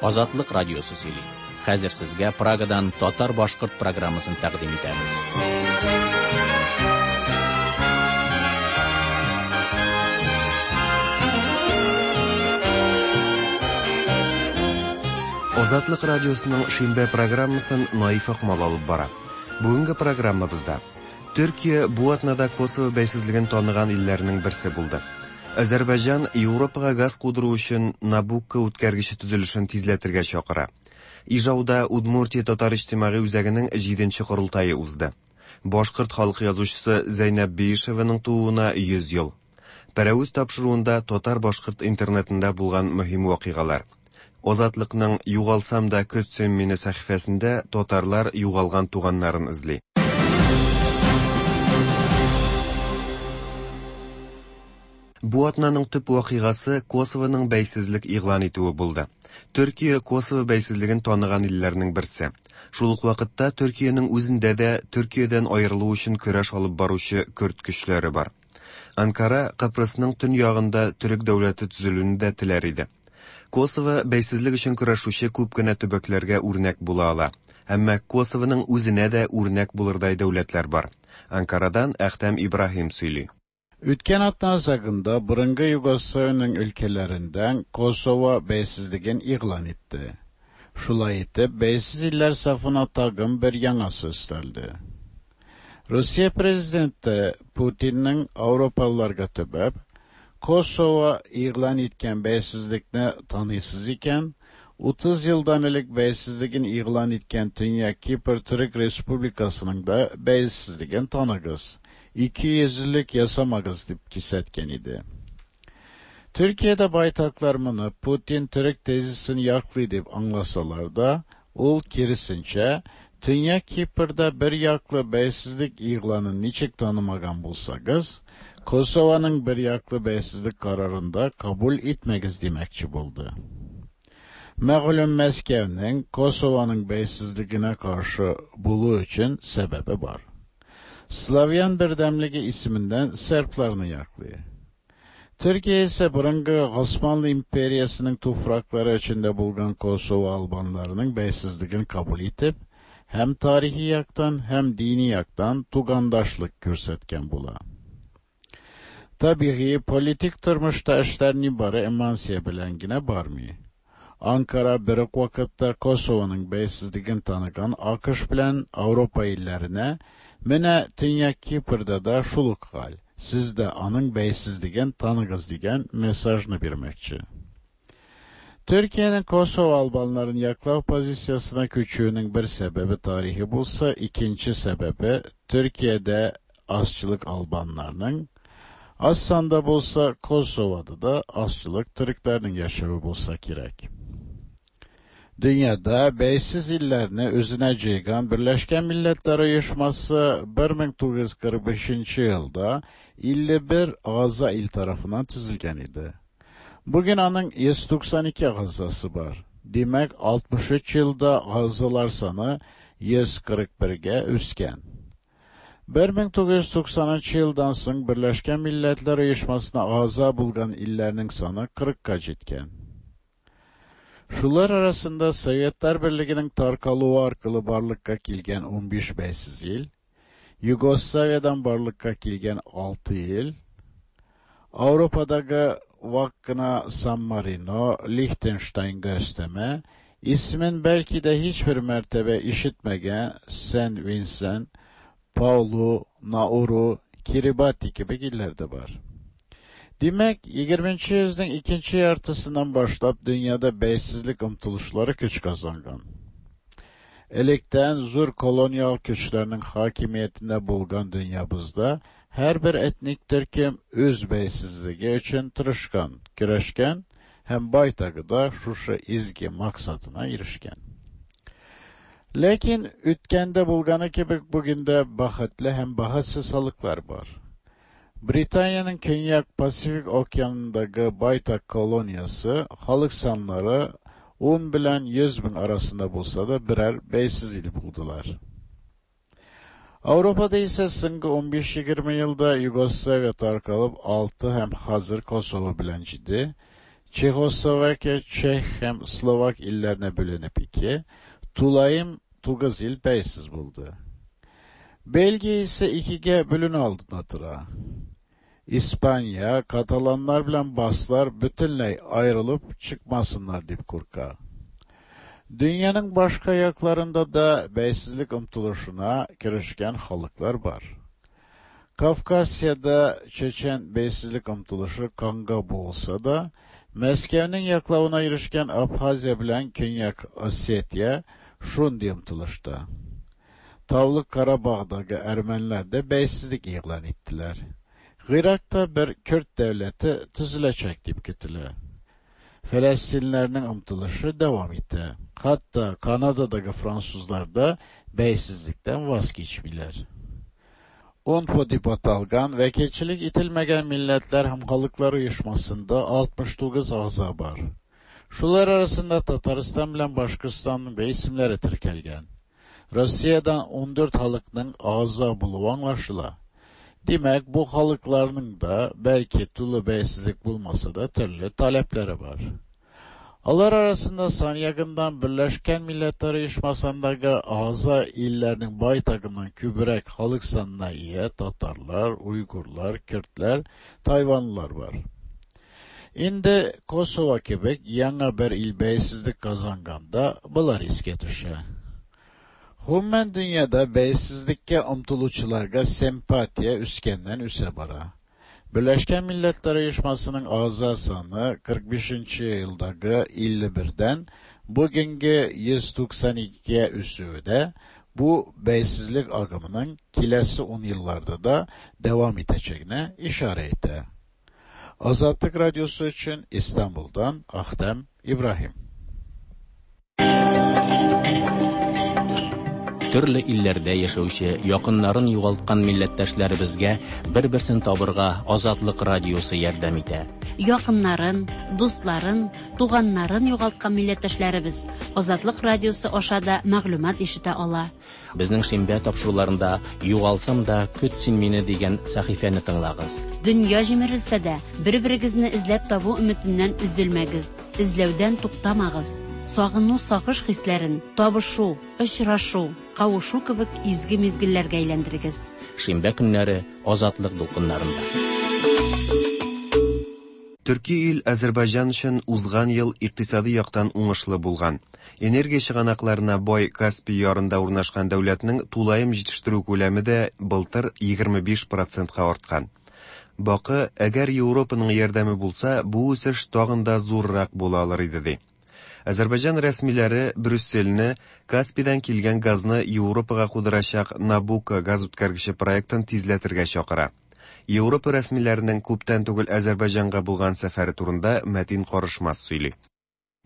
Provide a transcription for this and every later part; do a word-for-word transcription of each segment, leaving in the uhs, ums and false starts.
Азатлык радиосы сөйли. Хәзер сезгә Прагадан татар-башкорт программасын тәкъдим итәбез. Азатлык радиосының шимбә программасын Наиф Акмал алып бара. Бүгенге программабызда Төркия бу атнада Косово бәйсезлеген таныган илләрнең берсе булды. Азәрбайҗан Европага газ кудыру өчен Набукко үткәргече төзелешен тизләтергә чакыра. Ижауда Удмуртия татар иҗтимагый үзәгенең җиденче корылтае узды. Башкорт халык язучысы Зәйнәб Биишеваның тууына йөз ел. Пәрәвез тапшыруында татар-башкорт интернетында булган мөһим вакыйгалар. Азатлыкның «Югалсам да көт син мине» сәхифәсендә татарлар югалган туганнарын эзли. Бу атнаның төп вакыйгасы Косовоның бәйсезлек игълан итүе булды. Төркия Косово бәйсезлеген таныган илләрнең берсе. Шул ук вакытта Төркиянең үзендә дә Төркиядән аерылу өчен көрәш алып баручы көрд көчләре бар. Анкара Кыпрысның төньягында төрек дәүләте төзелүен дә теләр иде. Косово бәйсезлек өчен көрәшүче күп кенә төбәкләргә үрнәк була ала. Әмма Косовоның үзенә дә үрнәк булырдай дәүләтләр бар. Анкарадан Әхтәм Ибраһим сөйли. Үткән атна азагында борынгы Югославиянең өлкәләреннән Косово бәйсезлеген игълан итте. Шулай итеп, бәйсез илләр сафына тагын бер яңасы өстәлде. Русия президенты Путинның Авропалыларга төбәп, Косово игълан иткән бәйсезлекне таныйсыз икән, утыз елдан элек бәйсезлеген игълан иткән Төньяк Кипр Төрек Республикасының да бәйсезлеген таныгыз, ике йөзлелек ясамагыз дип кисәткән иде. Төркиядә байтаклар моны Путин төрек тезисен яклый дип аңласалар да, ул киресенчә, Төньяк Кипрда бер яклы бәйсезлек игъланын ничек танымаган булсагыз, Косованың бер яклы бәйсезлек карарын да кабул итмәгез димәкче булды. Мәгълүм Мәскәүнең Косованың бәйсезлегенә каршы булу өчен сәбәбе бар. Славян бердәмлеге исеменнән сербларны яклый. Төркия исә борынгы Османлы империясының туфраклары эчендә булган Косово албаннарының бәйсезлеген кабул итеп, һәм тарихи яктан, һәм дини яктан тугандашлык күрсәткән була. Табигый, политик тормышта эшләр нибары эмансия белән генә бармый. Анкара бер үк вакытта Косованың бәйсезлеген таныган АКШ белән Ауропа илләренә менә Төньяк Кипрда да шул ук хәл, сез дә аның бәйсезлеген таныгыз дигән мессажны бирмәкче. Төркиянең Косово албаннарын яклау позициясенә күчүенең бер сәбәбе тарихи булса, икенче сәбәбе Төркиядә азчылык албаннарның, аз санда булса Косовода да азчылык төрекләрнең яшәве булса кирәк. Dünyada бәйсез илләрне үзенә җыйган Берләшкән Милләтләр Оешмасы бер мең тугыз йөз кырык бишенче елда илле бер агъза ил тарафыннан төзелгән иде. Бүген аның йөз туксан ике агъзасы бар. Димәк, алтмыш өч елда агъзалар саны йөз кырык бергә үскән. Бер мең тугыз йөз туксанынчы елдан соң Берләшкән Милләтләр Оешмасына агъза булган илләрнең саны кырыкка җиткән. Шулар арасында Советлар Берлегенең таркалуы аркылы барлыкка килгән унбиш бәйсез ил, Югославиядан барлыкка килгән алты ил, Авропадагы вак кына Сан Марино, Лихтенштайнга өстәмә, исемен бәлки дә һичбер мәртәбә ишетмәгән Сен Винсент, Паулу, Науру, Кирибати кебек илләр дә бар. Димәк, егерменче йөзнең икенче яртысыннан башлап дөньяда бәйсезлек омтылышлары көч казанган. Электән зур колониал көчләрнең хакимиятендә булган дөньябызда һәрбер этник төркем үз бәйсезлеге өчен тырышкан, көрәшкән һәм байтагы да шушы изге максатына ирешкән. Ләкин үткәндә булганы кебек бүген дә бәхетле һәм бәхетсез халыклар бар. Британиянең Көньяк Пасифик океанындагы байтак колониясе халык саннары ун белән йөз мең арасында булса да берәр бәйсез ил булдылар. Авропада исә соңгы унбиш-егерме елда Югославия таркалып алты һәм хәзер Косово белән җиде, Çexoslovakya, Çex һәм Slovak illerine bölünüp iki, tulayım тугыз ил бәйсез булды. Belgiya ise ikige bölünü алдында тора. İspanya, Katalanlar bilen Baslar bütünley ayrılıp çıkmasınlar dip kurka. Dünyanın başka yaklarında da beysizlik ımtılışına kirişken halıklar var. Kafkasya'da Çeçen beysizlik ımtılışı kanga boğulsa da, Meskev'nin yaklavına irişken Abhazya bilen Künyak Ossetya şundi ımtılışta. Tavlı Karabağ'daki Ermeniler de beysizlik ilan ettiler. Irak'ta bir Kürt devleti tüzülecek deyip gittiler. Filistinlerinin ımtılışı devam etti. Hatta Kanada'daki Fransızlar da beysizlikten vazgeçmiler. UNPO dip atalgan vekilçilik itilmegen milletler hem halıkları uyuşmasında altmış dokuz ağza var. Şular arasında Tataristan bilen Başkırstan'ın da isimleri tirkelgen. Rusya'dan on dört halıkның ağza buluv anlaşıla. Demek bu halıklarının da belki tulu beysizlik bulmasa da türlü talepleri var. Alar arasında san yakından Birleşken Milletler Uyuşmasındaki ağza illerinin baytagından kübürek halık sanına iye Tatarlar, Uygurlar, Kürtler, Tayvanlılar var. Indi Kosova gibi yana bir il beysizlik kazanganda bular iske düşe. Hummen dünyada beysizlikke ımtılıçılarga sempatiya üskenden üse bara. Birleşken Milletler Uyuşması'nın ağza sanı kırk beşinci yıldaki elli birden bugünkü yüz doksan ikiye üsüğü de bu beysizlik akımının kilesi on yıllarda da devam edeceğine işaret etti. Azatlık Radyosu için İstanbul'dan Ahtem İbrahim. Төрле илләрдә яшәүче якыннарын югалткан милләттәшләребезгә бер-берсен табырга Азатлык радиосы ярдәм итә. Якыннарын, дусларын, туганнарын югалткан милләттәшләребез Азатлык радиосы аша да мәгълүмат ишетә ала. Безнең шимбә тапшыруларында Югалсам да көт син мине дигән сәхифәне тыңлагыз. Дөнья җимерелсә дә, бер-берегезне эзләп табу өметеннән өзелмәгез, эзләүдән туктамагыз. Сагыну сагыш хисләрен табышу, очрашу, кавышу кебек изге мизгелләргә әйләндерегез. Шимбә көннәре Азатлык дулкыннарында. Төрки ил Азербайҗан өчен узган ел икътисади яктан уңышлы булган. Энергия чыганакларына бай Каспий ярында урнашкан дәүләтнең тулаем җитештерү күләме дә былтыр егерме биш процентка арткан. Бакы, әгәр Европаның ярдәме булса, бу үсеш тагын да зуррак була алыр иде ди. Азербайҗан рәсмиләре Брюссельне Каспийдан килгән газны Европага кудырачак Набуко газ үткәргече проектын тизләтергә чакыра. Европа рәсмиләренең күптән түгел Азербайҗанга булган сәфәре турында Мәтин Карышмас сөйли.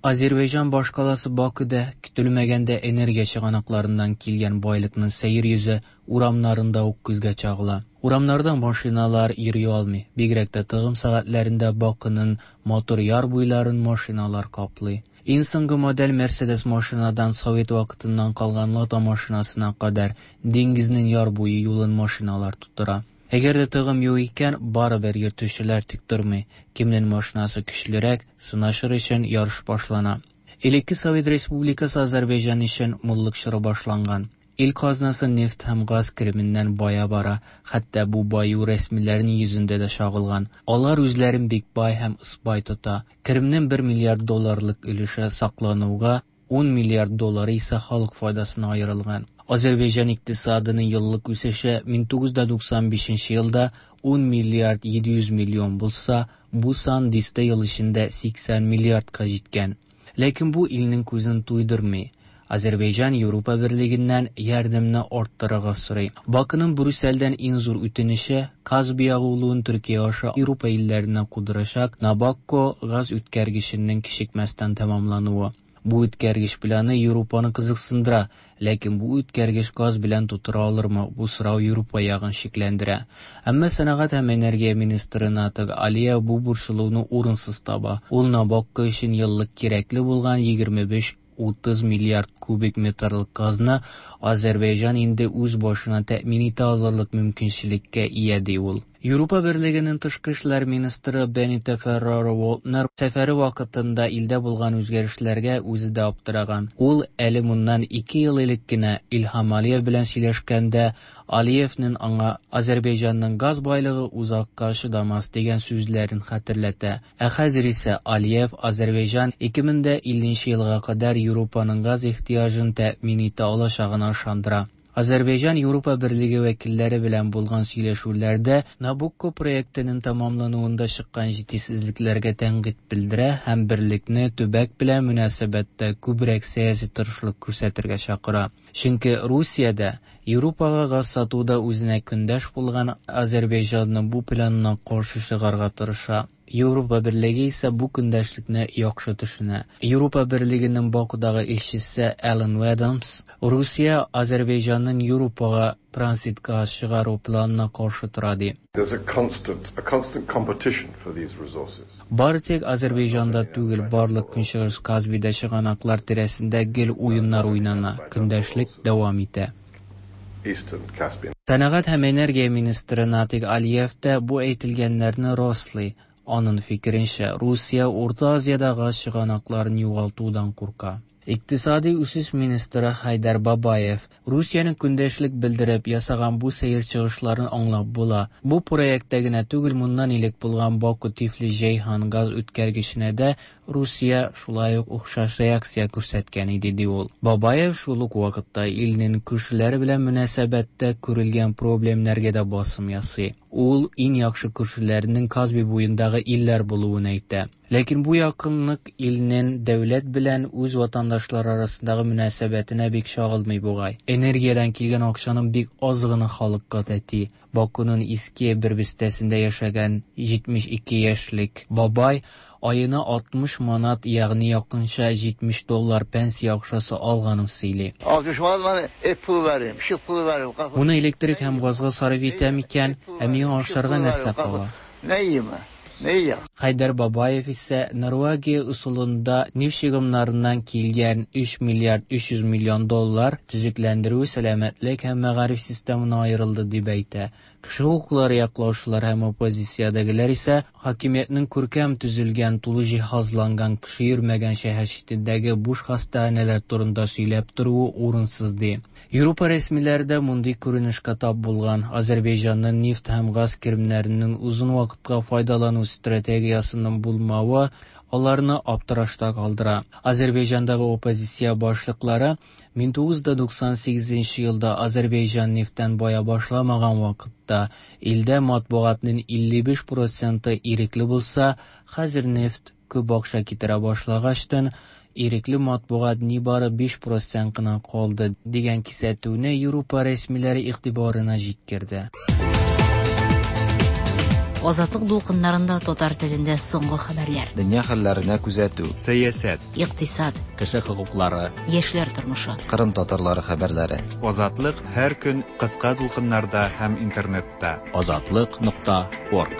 Азербайҗан башкаласы Бакыда көтелмәгәндә энергия чыганакларыннан килгән байлыкның сәер йөзе урамнарында ук күзгә чагыла. Урамнарда машиналар йөри алмый. Бигрәк тә тыгым сәгатьләрендә Бакының матур яр буйларын машиналар каплый. Иң соңгы модель Мерседес машинадан Совет вакытыннан калган Лада машинасына кадәр диңгезнең яр буе юлын машиналар тутыра. Әгәр дә тыгым юк икән, барыбер йөртүчеләр тик тормый. Кемнең машинасы көчлерәк, сынашыр өчен ярыш башлана. Элекке Совет Республикасы Азербайҗан өчен муллык чоры башланган. Ил казнасы нефть һәм газ кеременнән бая бара, хәтта бу баю рәсмиләрнең йөзендә дә чагылган. Алар үзләрен бик бай һәм ыспай тота. Керемнең бер миллиард долларлык өлеше саклануга, ун миллиард доллары исә халык файдасына аерылган. Азербайҗан икътисадының еллык үсеше мең тугыз йөз туксан бишенче елда ун миллиард җиде йөз миллион булса, бу сан дистә ел эчендә сиксән миллиардка җиткән. Ләкин бу илнең күзен туйдырмый. Азербайҗан Европа Берлегеннән ярдәмне арттырырга сорый. Бакының Брюссельдән иң зур үтенеше Каспий агулуын Төркия аша Европа илләренә кудырачак Набакко газ үткәргеченең кичекмәстән тәмамлануы. Бу үткәргеч планы Европаны кызыксындыра, ләкин бу үткәргеч газ белән тутыра алырмы? Бу сорау Европа ягын шикләндерә. Әмма сәнәгать һәм энергия министры Натык Алиев бу борчылуны урынсыз таба. Ул Набакко өчен еллык кирәкле булган егерме биш утыз миллиард кубик метрлык газны Азербайҗан инде үз башына тәэмин итә алырлык мөмкинчелеккә ия ди ул. Европа Берлегенең тышкы эшләр министры Бенита Ферреро-Валднер сәфәре вакытында илдә булган үзгәрешләргә үзе дә аптыраган. Ул әле моннан ике ел элек кенә Илһам Алиев белән сөйләшкәндә Алиевның аңа Азәрбайҗанның газ байлыгы озакка чыдамас дигән сүзләрен хәтерләтә. Ә хәзер исә Алиев Азәрбайҗан ике мең дә илленче елга кадәр Европаның газ ихтыяҗын тәэмин итә алачагына ышандыра. Азәрбайҗан Европа Берлеге вәкилләре белән булган сөйләшүләрдә Набукко проектының тәмамлануында чыккан җитешсезлекләргә тәнкыйть белдерә һәм берлекне төбәк белән мөнәсәбәттә күбрәк сәяси тырышлык күрсәтергә чакыра. Чөнки Русиядә Европага газ сатуда үзенә көндәш булган Азәрбайҗанның бу планына каршы чыгарга тырыша. Европа Берлеге исә бу көндәшлекне яхшы төшенә. Европа Берлегенең Бакудагы илчесе Алан Адамс Русия Азәрбайҗанның Европага транзит газ чыгару планына каршы тора ди. There's a constant, a constant competition for these resources. Бары тик Азәрбайҗанда түгел, барлык Көнчыгыш Казбийдә чыганаклар тирәсендә гел уеннар уйнана, көндәшлек дәвам итә. Eastern Caspian. Сәнәгать һәм энергия министры Натик Алиев та бу әйтелгәннәрне раслый. Аның фикеренчә, Русия Урта Азиядә газ чыганакларын югалтудан курка. Икътисади үсеш министры Хайдар Бабаев Русиянең көндәшлек белдереп ясаган бу сәер чыгышларын аңлап була. Бу проектта генә түгел, моннан элек булган Баку-Тифлис-Җәйһан газ үткәргеченә дә Русия шулай ук охшаш реакция күрсәткән иде, ди ул. Бабаев шул ук вакытта илнең күршеләре белән мөнәсәбәттә күрелгән проблемнәргә дә басым ясый. Ул иң яхшы күршеләренең Казби буендагы илләр булуын әйтә. Ләкин бу якынлык илнең дәүләт белән үз ватандашлары арасындагы мөнәсәбәтенә бик чагылмый бугай. Энергиядән килгән акчаның бик аз гына халыкка тәти. Бакуның иске бер бистәсендә яшәгән җитмеш ике яшьлек бабай аена алтмыш манат, ягъни якынча җитмеш доллар пенсия акчасы алганын сөйли. Алтмыш манат мана эп пулы бар, шык пулы бар. Моны электрик һәм газга сарыф итәм икән, ә миңа ашарга нәрсә кала? Нәйме? Нәйе? Хайдар Бабаев исә Норвегия ысулында нефть чыгымнарыннан килгән өч миллиард өч йөз миллион доллар төзекләндерү, сәламәтлек һәм мәгариф системына аерылды дип әйтә. Кеше хокуклары яклаучылар һәм оппозициядәгеләр исә хакимиятнең күркәм төзелгән, тулы җиһазланган, кеше йөрмәгән шәһәр читендәге буш хастаханәләр турында сөйләп торуы урынсыз ди. Европа рәсмиләре дә мондый күренешкә тап булган. Азәрбайҗанның нефть һәм газ керемнәренең озын вакытка файдалану стратегиясының булмавы аларны аптырашта калдыра. Азәрбайҗандагы оппозиция башлыклары мең тугыз йөз туксан сигезенче елда Азәрбайҗан нефтьтән бая башламаган вакытта илдә матбугатның илле биш проценты ирекле булса, хәзер нефть күп акча китерә башлагачтан ирекле матбугат нибары биш процент кына калды дигән кисәтүне Европа рәсмиләре игътибарына җиткерде. Азатлык дулкыннарында татар телендә соңгы хәбәрләр. Дөнья хәлләренә күзәтү. Сәясәт. Икътисад. Кеше хокуклары. Яшьләр тормышы. Кырым татарлары хәбәрләре. Азатлык һәр көн кыска дулкыннарда һәм интернетта. Азатлык нокта орг.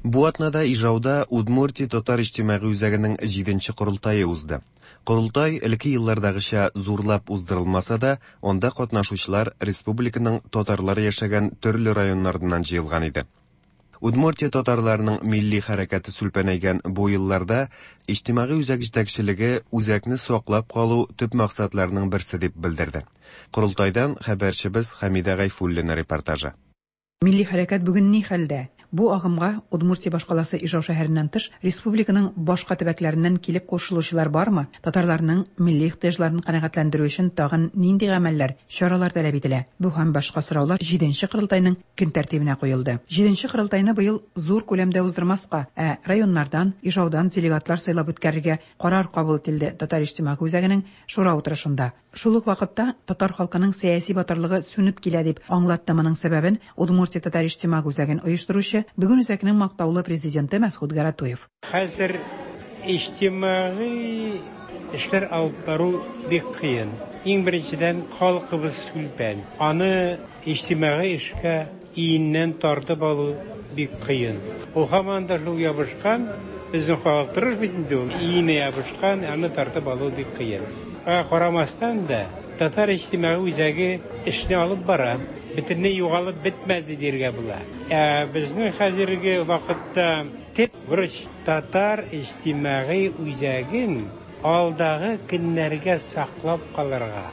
Бу атнада Ижауда Удмуртия татар иҗтимагый үзәгенең җиденче корылтае узды. Корылтай элекке еллардагыча зурлап уздырылмаса да, анда катнашучылар республиканың татарлары яшәгән төрле районнарыннан җыелган иде. Удмуртия татарларының милли хәрәкәте сүлпәнәйгән бу елларда иҗтимагый үзәк җитәкчелеге үзәкне саклап калу төп максатларының берсе дип белдерде. Корылтайдан хәбәрчебез Хәмидә Гайфуллина репортажы. Милли хәрәкәт бүген ни хәлдә? Бу агымга Удмуртия башкаласы Ижау шәһәреннән тыш республиканың башка төбәкләреннән килеп кушылучылар бармы? Татарларның милли ихтыяҗларын канәгатьләндерү өчен тагын нинди гамәлләр, чаралар таләп ителә? Бу һәм башка сораулар җиденче корылтайның көн тәртибенә куелды. Җиденче корылтайны быел зур күләмдә уздырмаска, ә районнардан, Ижаудан делегатлар сайлап үткәрергә карар кабул ителде Татар иҗтимагый үзәгенең шура утырышында. Шул ук вакытта татар халкының сәяси батырлыгы сүнеп килә дип аңлатты моның сәбәбен Удмуртия татар иҗтимагый үзәген оештыручы, бүген үзәкнең мактаулы президенты Мәсхүт Гаратуев. Хәзер иҗтимагый эшләр алып бару бик кыен. Иң беренчедән халкыбыз сүлпән. Аны иҗтимагый эшкә иеннән тартып алу бик кыен. Ул һаман да шул ябышкан, безнең халык тырыш бит инде ул. Иенә ябышкан, аны тартып алу бик кыен. Аңа карамастан да Татар иҗтимагый үзәге эшне алып бара. Бөтенләй югалып бетмәде дияргә була. Ә безнең хәзерге вакытта төп бурыч татар иҗтимагый үзәген алдагы көннәргә саклап калырга.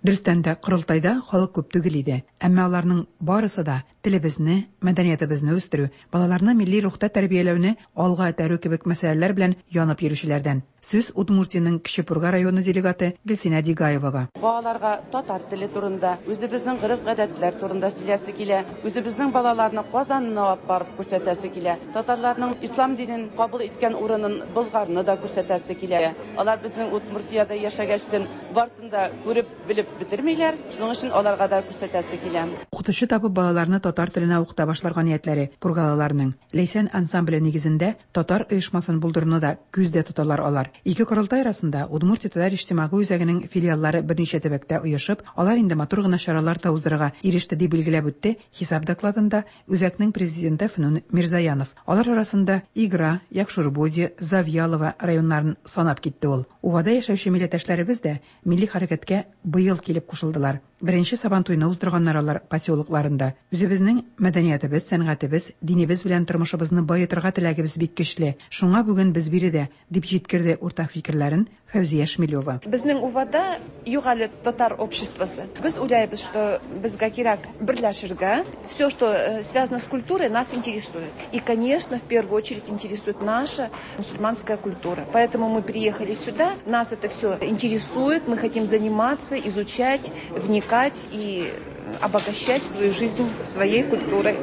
Дөрестән дә, корылтайда халык күп түгел иде. Әмма аларның барысы да телебезне, мәдәниятебезне үстерү, балаларны милли рухта тәрбияләүне алга этәрү кебек мәсьәләләр белән янып йөрүчеләрдән. Сүз Удмуртиянең Кече Пурга районы делегаты Гөлсинә Дигаевага. Балаларга татар теле турында, үзебезнең гореф-гадәтләр турында сөйләсе килә, үзебезнең балаларны Казанны алып барып күрсәтәсе килә, татарларның ислам динен кабул иткән урынын Болгарны да күрсәтәсе килә. Алар безнең Удмуртиядә яшәгәчтен барсын да күреп, белеп бетермиләр, шуның өчен аларга да күрсәтәсе килә. Укытучы табып балаларны татар теленә укыта башларга ниятләре пургалыларның. Ләйсән ансамбле нигезендә татар оешмасын булдыруны да күздә тоталар алар. Ике корылтай арасында Удмуртия татар иҗтимагый үзәгенең филиаллары берничә төбәктә оешып, алар инде матур гына чаралар да уздырырга иреште дип билгеләп үтте хисап докладында үзәкнең президенты Фнун Мирзаянов. Алар арасында Игра, Якшурбоди, Завьялова районнарын санап китте ул. Увада яшәүче милләттәшләребез дә милли хәрәкәткә быел килеп кушылдылар. Беренче Сабантуйны уздырганнар алар поселокларында. Үзебезнең мәдәниятебез, сәнгатебез, динебез белән тормышыбызны баетырга теләгебез бик көчле. Шуңа бүген без биредә, дип җиткерде уртак фикерләрен Фәүзия Шмелева. Безнең Увада юк әле татар обществосы. Без уйлайбыз, что безгә кирәк берләшергә. Все, что связано с культурой, нас интересует. И, конечно, в первую очередь интересует наша мусульманская культура. Поэтому мы приехали сюда, нас это все интересует, мы хотим заниматься, изучать, вникать и обогащать свою жизнь своей культурой.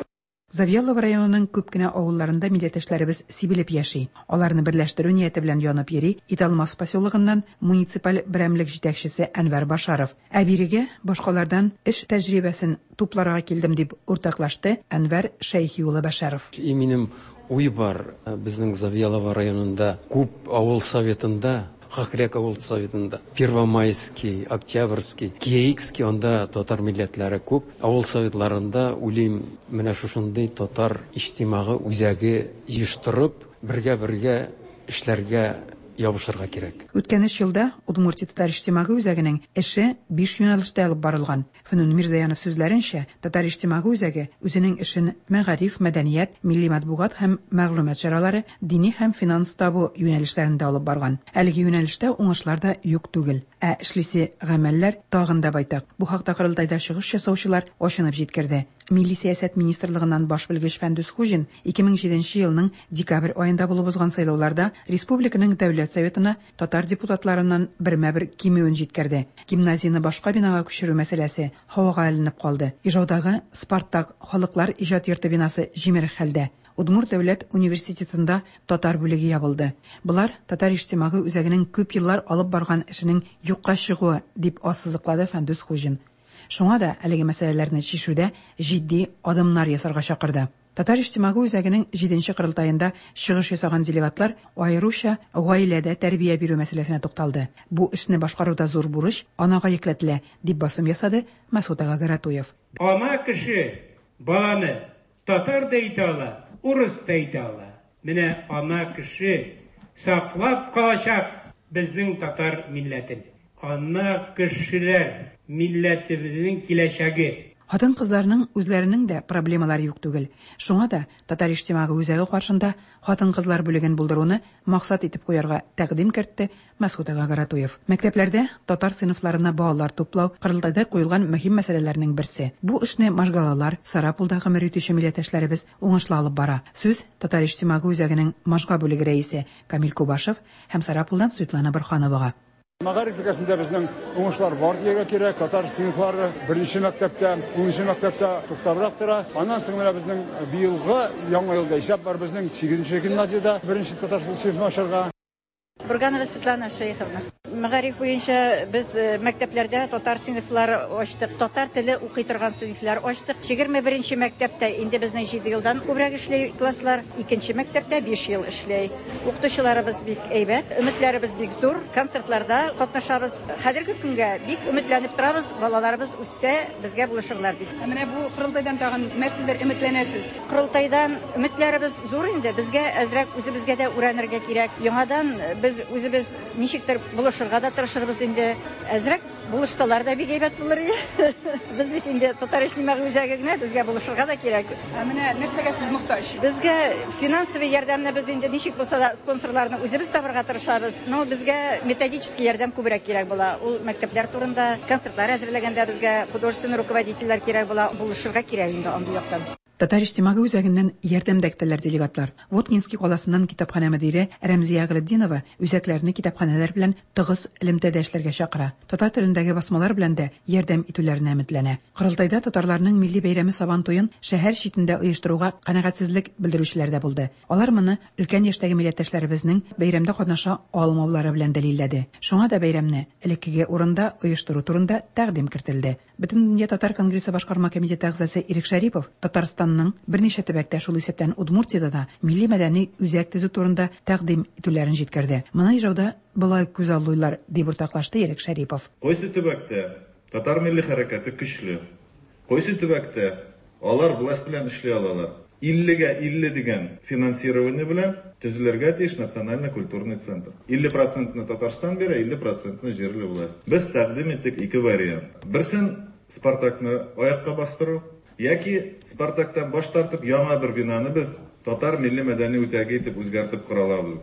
Завьялова районының күп кенә авылларында милләттәшләребез сибелеп яши. Аларны берләштерү нияте белән янып йөри Италмас поселогыннан муниципаль берәмлек җитәкчесе Әнвәр Башаров. Ә бирегә башкалардан эш тәҗрибәсен тупларга килдем дип уртаклашты Әнвәр Шәйхи улы Башаров. И минем уй бар, безнең Завьялова районында күп авыл советында, Хакряк авыл советында, Первомайский, Октябрьский, Киекский, анда татар милләтләре күп. Авыл советларында уйлыйм, менә шушындый татар иҗтимагы үзәге җыештырып, бергә-бергә эшләргә ябышырга кирәк. Үткән өч елда Удмуртия татар иҗтимагый үзәгенең эше биш юнәлештә алып барылган. Фнун Мирзаянов сүзләренчә, татар иҗтимагый үзәге үзенең эшен мәгариф, мәдәният, милли матбугат һәм мәгълүмат чаралары, дини һәм финанс табу юнәлешләрендә алып барган. Әлеге юнәлештә уңышлар да юк түгел. Ә эшлисе гамәлләр тагын да байтак. Бу хакта корылтайда чыгыш ясаучылар ачынып җиткерде. Милли сәясәт министрлыгыннан баш белгеч Фәндүс Хуҗин ике мең җиденче елның декабрь аенда булып узган сайлауларда республиканың дәүләт советына татар депутатларыннан бермә-бер кимүен җиткерде. Гимназияне башка бинага күчерү мәсьәләсе һавага эленеп калды. Ижаудагы Спартак халыклар иҗат йорты бинасы җимерек хәлдә. Удмурт дәүләт университетында татар бүлеге ябылды. Болар татар иҗтимагый үзәгенең күп еллар алып барган эшенең юкка чыгуы дип ассызыклады Фәндүс Хуҗин. Шуңа да әлеге мәсьәләләрне чишүдә җитди адымнар ясарга чакырды. Татар иҗтимагый үзәгенең җиденче корылтаенда чыгыш ясаган делегатлар аеруча гаиләдә тәрбия бирү мәсьәләсенә тукталды. Бу эшне башкаруда зур бурыч анага йөкләтелә, дип басым ясады Мәсут ага Гаратуев. Ана кеше баланы татар да итә ала, урыс та итә ала. Менә ана кеше саклап калачак безнең татар милләтен. Ана кешеләр милләтебезнең киләчәге. Хатын-кызларның үзләренең дә проблемалары юк түгел. Шуңа да татар иҗтимагый үзәге каршында хатын-кызлар бүлеген булдыруны максат итеп куярга тәкъдим кертте Мәсут ага Гаратуев. Мәктәпләрдә татар сыйныфларына балалар туплау корылтайда куелган мөһим мәсьәләләрнең берсе. Бу эшне Можгалалар, Сарапулда гомер итүче милләттәшләребез уңышлы алып бара. Сүз татар иҗтимагый үзәгенең Можга бүлеге рәисе Камил Кубашев һәм Сарапулдан Светлана Бурхановага. Мәгариф өлкәсендә безнең уңышлар бар дияргә кирәк. Татар сыйныфлары беренче мәктәптә, унынчы мәктәптә туктабрак тора. Аннан соң менә безнең быелгы яңа елда исәп бар безнең сигезенче гимназиядә беренче татар сыйныфын ачарга. Бурганова Светлана Шейховна. Мәгариф буенча без мәктәпләрдә татар сыйныфлары ачтык, татар теле укый торган сыйныфлар ачтык. Егерме беренче мәктәптә инде безнең җиде елдан күбрәк эшли класслар, икенче мәктәптә биш ел эшли. Укытучыларыбыз бик әйбәт, өметләребез бик зур, концертларда катнашабыз. Хәзерге көнгә бик өметләнеп торабыз, балаларыбыз үссә безгә булышырлар дип. Ә менә бу корылтайдан тагын нәрсәләр өметләнәсез? Корылтайдан өметләребез зур инде, безгә әзрәк үзебезгә дә өйрәнергә кирәк. Яңадан без Без үзебез ничектер булышырга да тырышырбыз инде. Әзрәк булышсалар да бик әйбәт булыр иде. Без бит инде татар иҗтимагый үзәге генә, безгә булышырга да кирәк. Ә менә нәрсәгә сез мохтаҗ? Безгә финансовый ярдәмне без инде ничек булса да спонсорларны үзебез табырга тырышабыз. Но безгә методический ярдәм күбрәк кирәк була. Ул мәктәпләр турында, концертлар әзерләгәндә безгә художественный руководительләр кирәк була, булышырга кирәк инде андый яктан. Татар иҗтимагый үзәгеннән ярдәм дә көтәләр делегатлар. Воткинский каласыннан китапханә мөдире Рәмзия Гыйлетдинова үзәкләрне китапханәләр белән тыгыз элемтәдә эшләргә чакыра. Татар телендәге басмалар белән дә ярдәм итүләренә өметләнә. Корылтайда татарларның милли бәйрәме Сабан туен шәһәр читендә оештыруга канәгатьсезлек белдерүчеләр дә булды. Алар моны өлкән яшьтәге милләттәшләребезнең бәйрәмдә катнаша алмаулары белән дәлилләде. Шуңа да бәйрәмне элеккеге урында оештыру турында тәкъдим кертелде. Бөтендөнья татар конгрессы башкарма комитеты әгъзасы Ирек Шәрипов Татарстанның берничә төбәктә, шул исәптән Удмуртиядә дә милли мәдәни үзәк төзү турында тәкъдим итүләрен җиткерде. Моны Ижауда болай күзаллыйлар, дип уртаклашты Ирек Шәрипов. Кайсы төбәктә татар милли хәрәкәте көчле, кайсы төбәктә алар власть белән эшли алалар. Иллегә илле дигән финансирование белән төзелергә тиеш национально-культурный центр. Илле процентны Татарстан бирә, илле процентны җирле власть. Без тәкъдим иттек ике вариант. Берсен Спартакны аякка бастыру, яки Спартактан баш тартып яңа бер бинаны без татар милли мәдәни үзәге итеп үзгәртеп кора алабыз.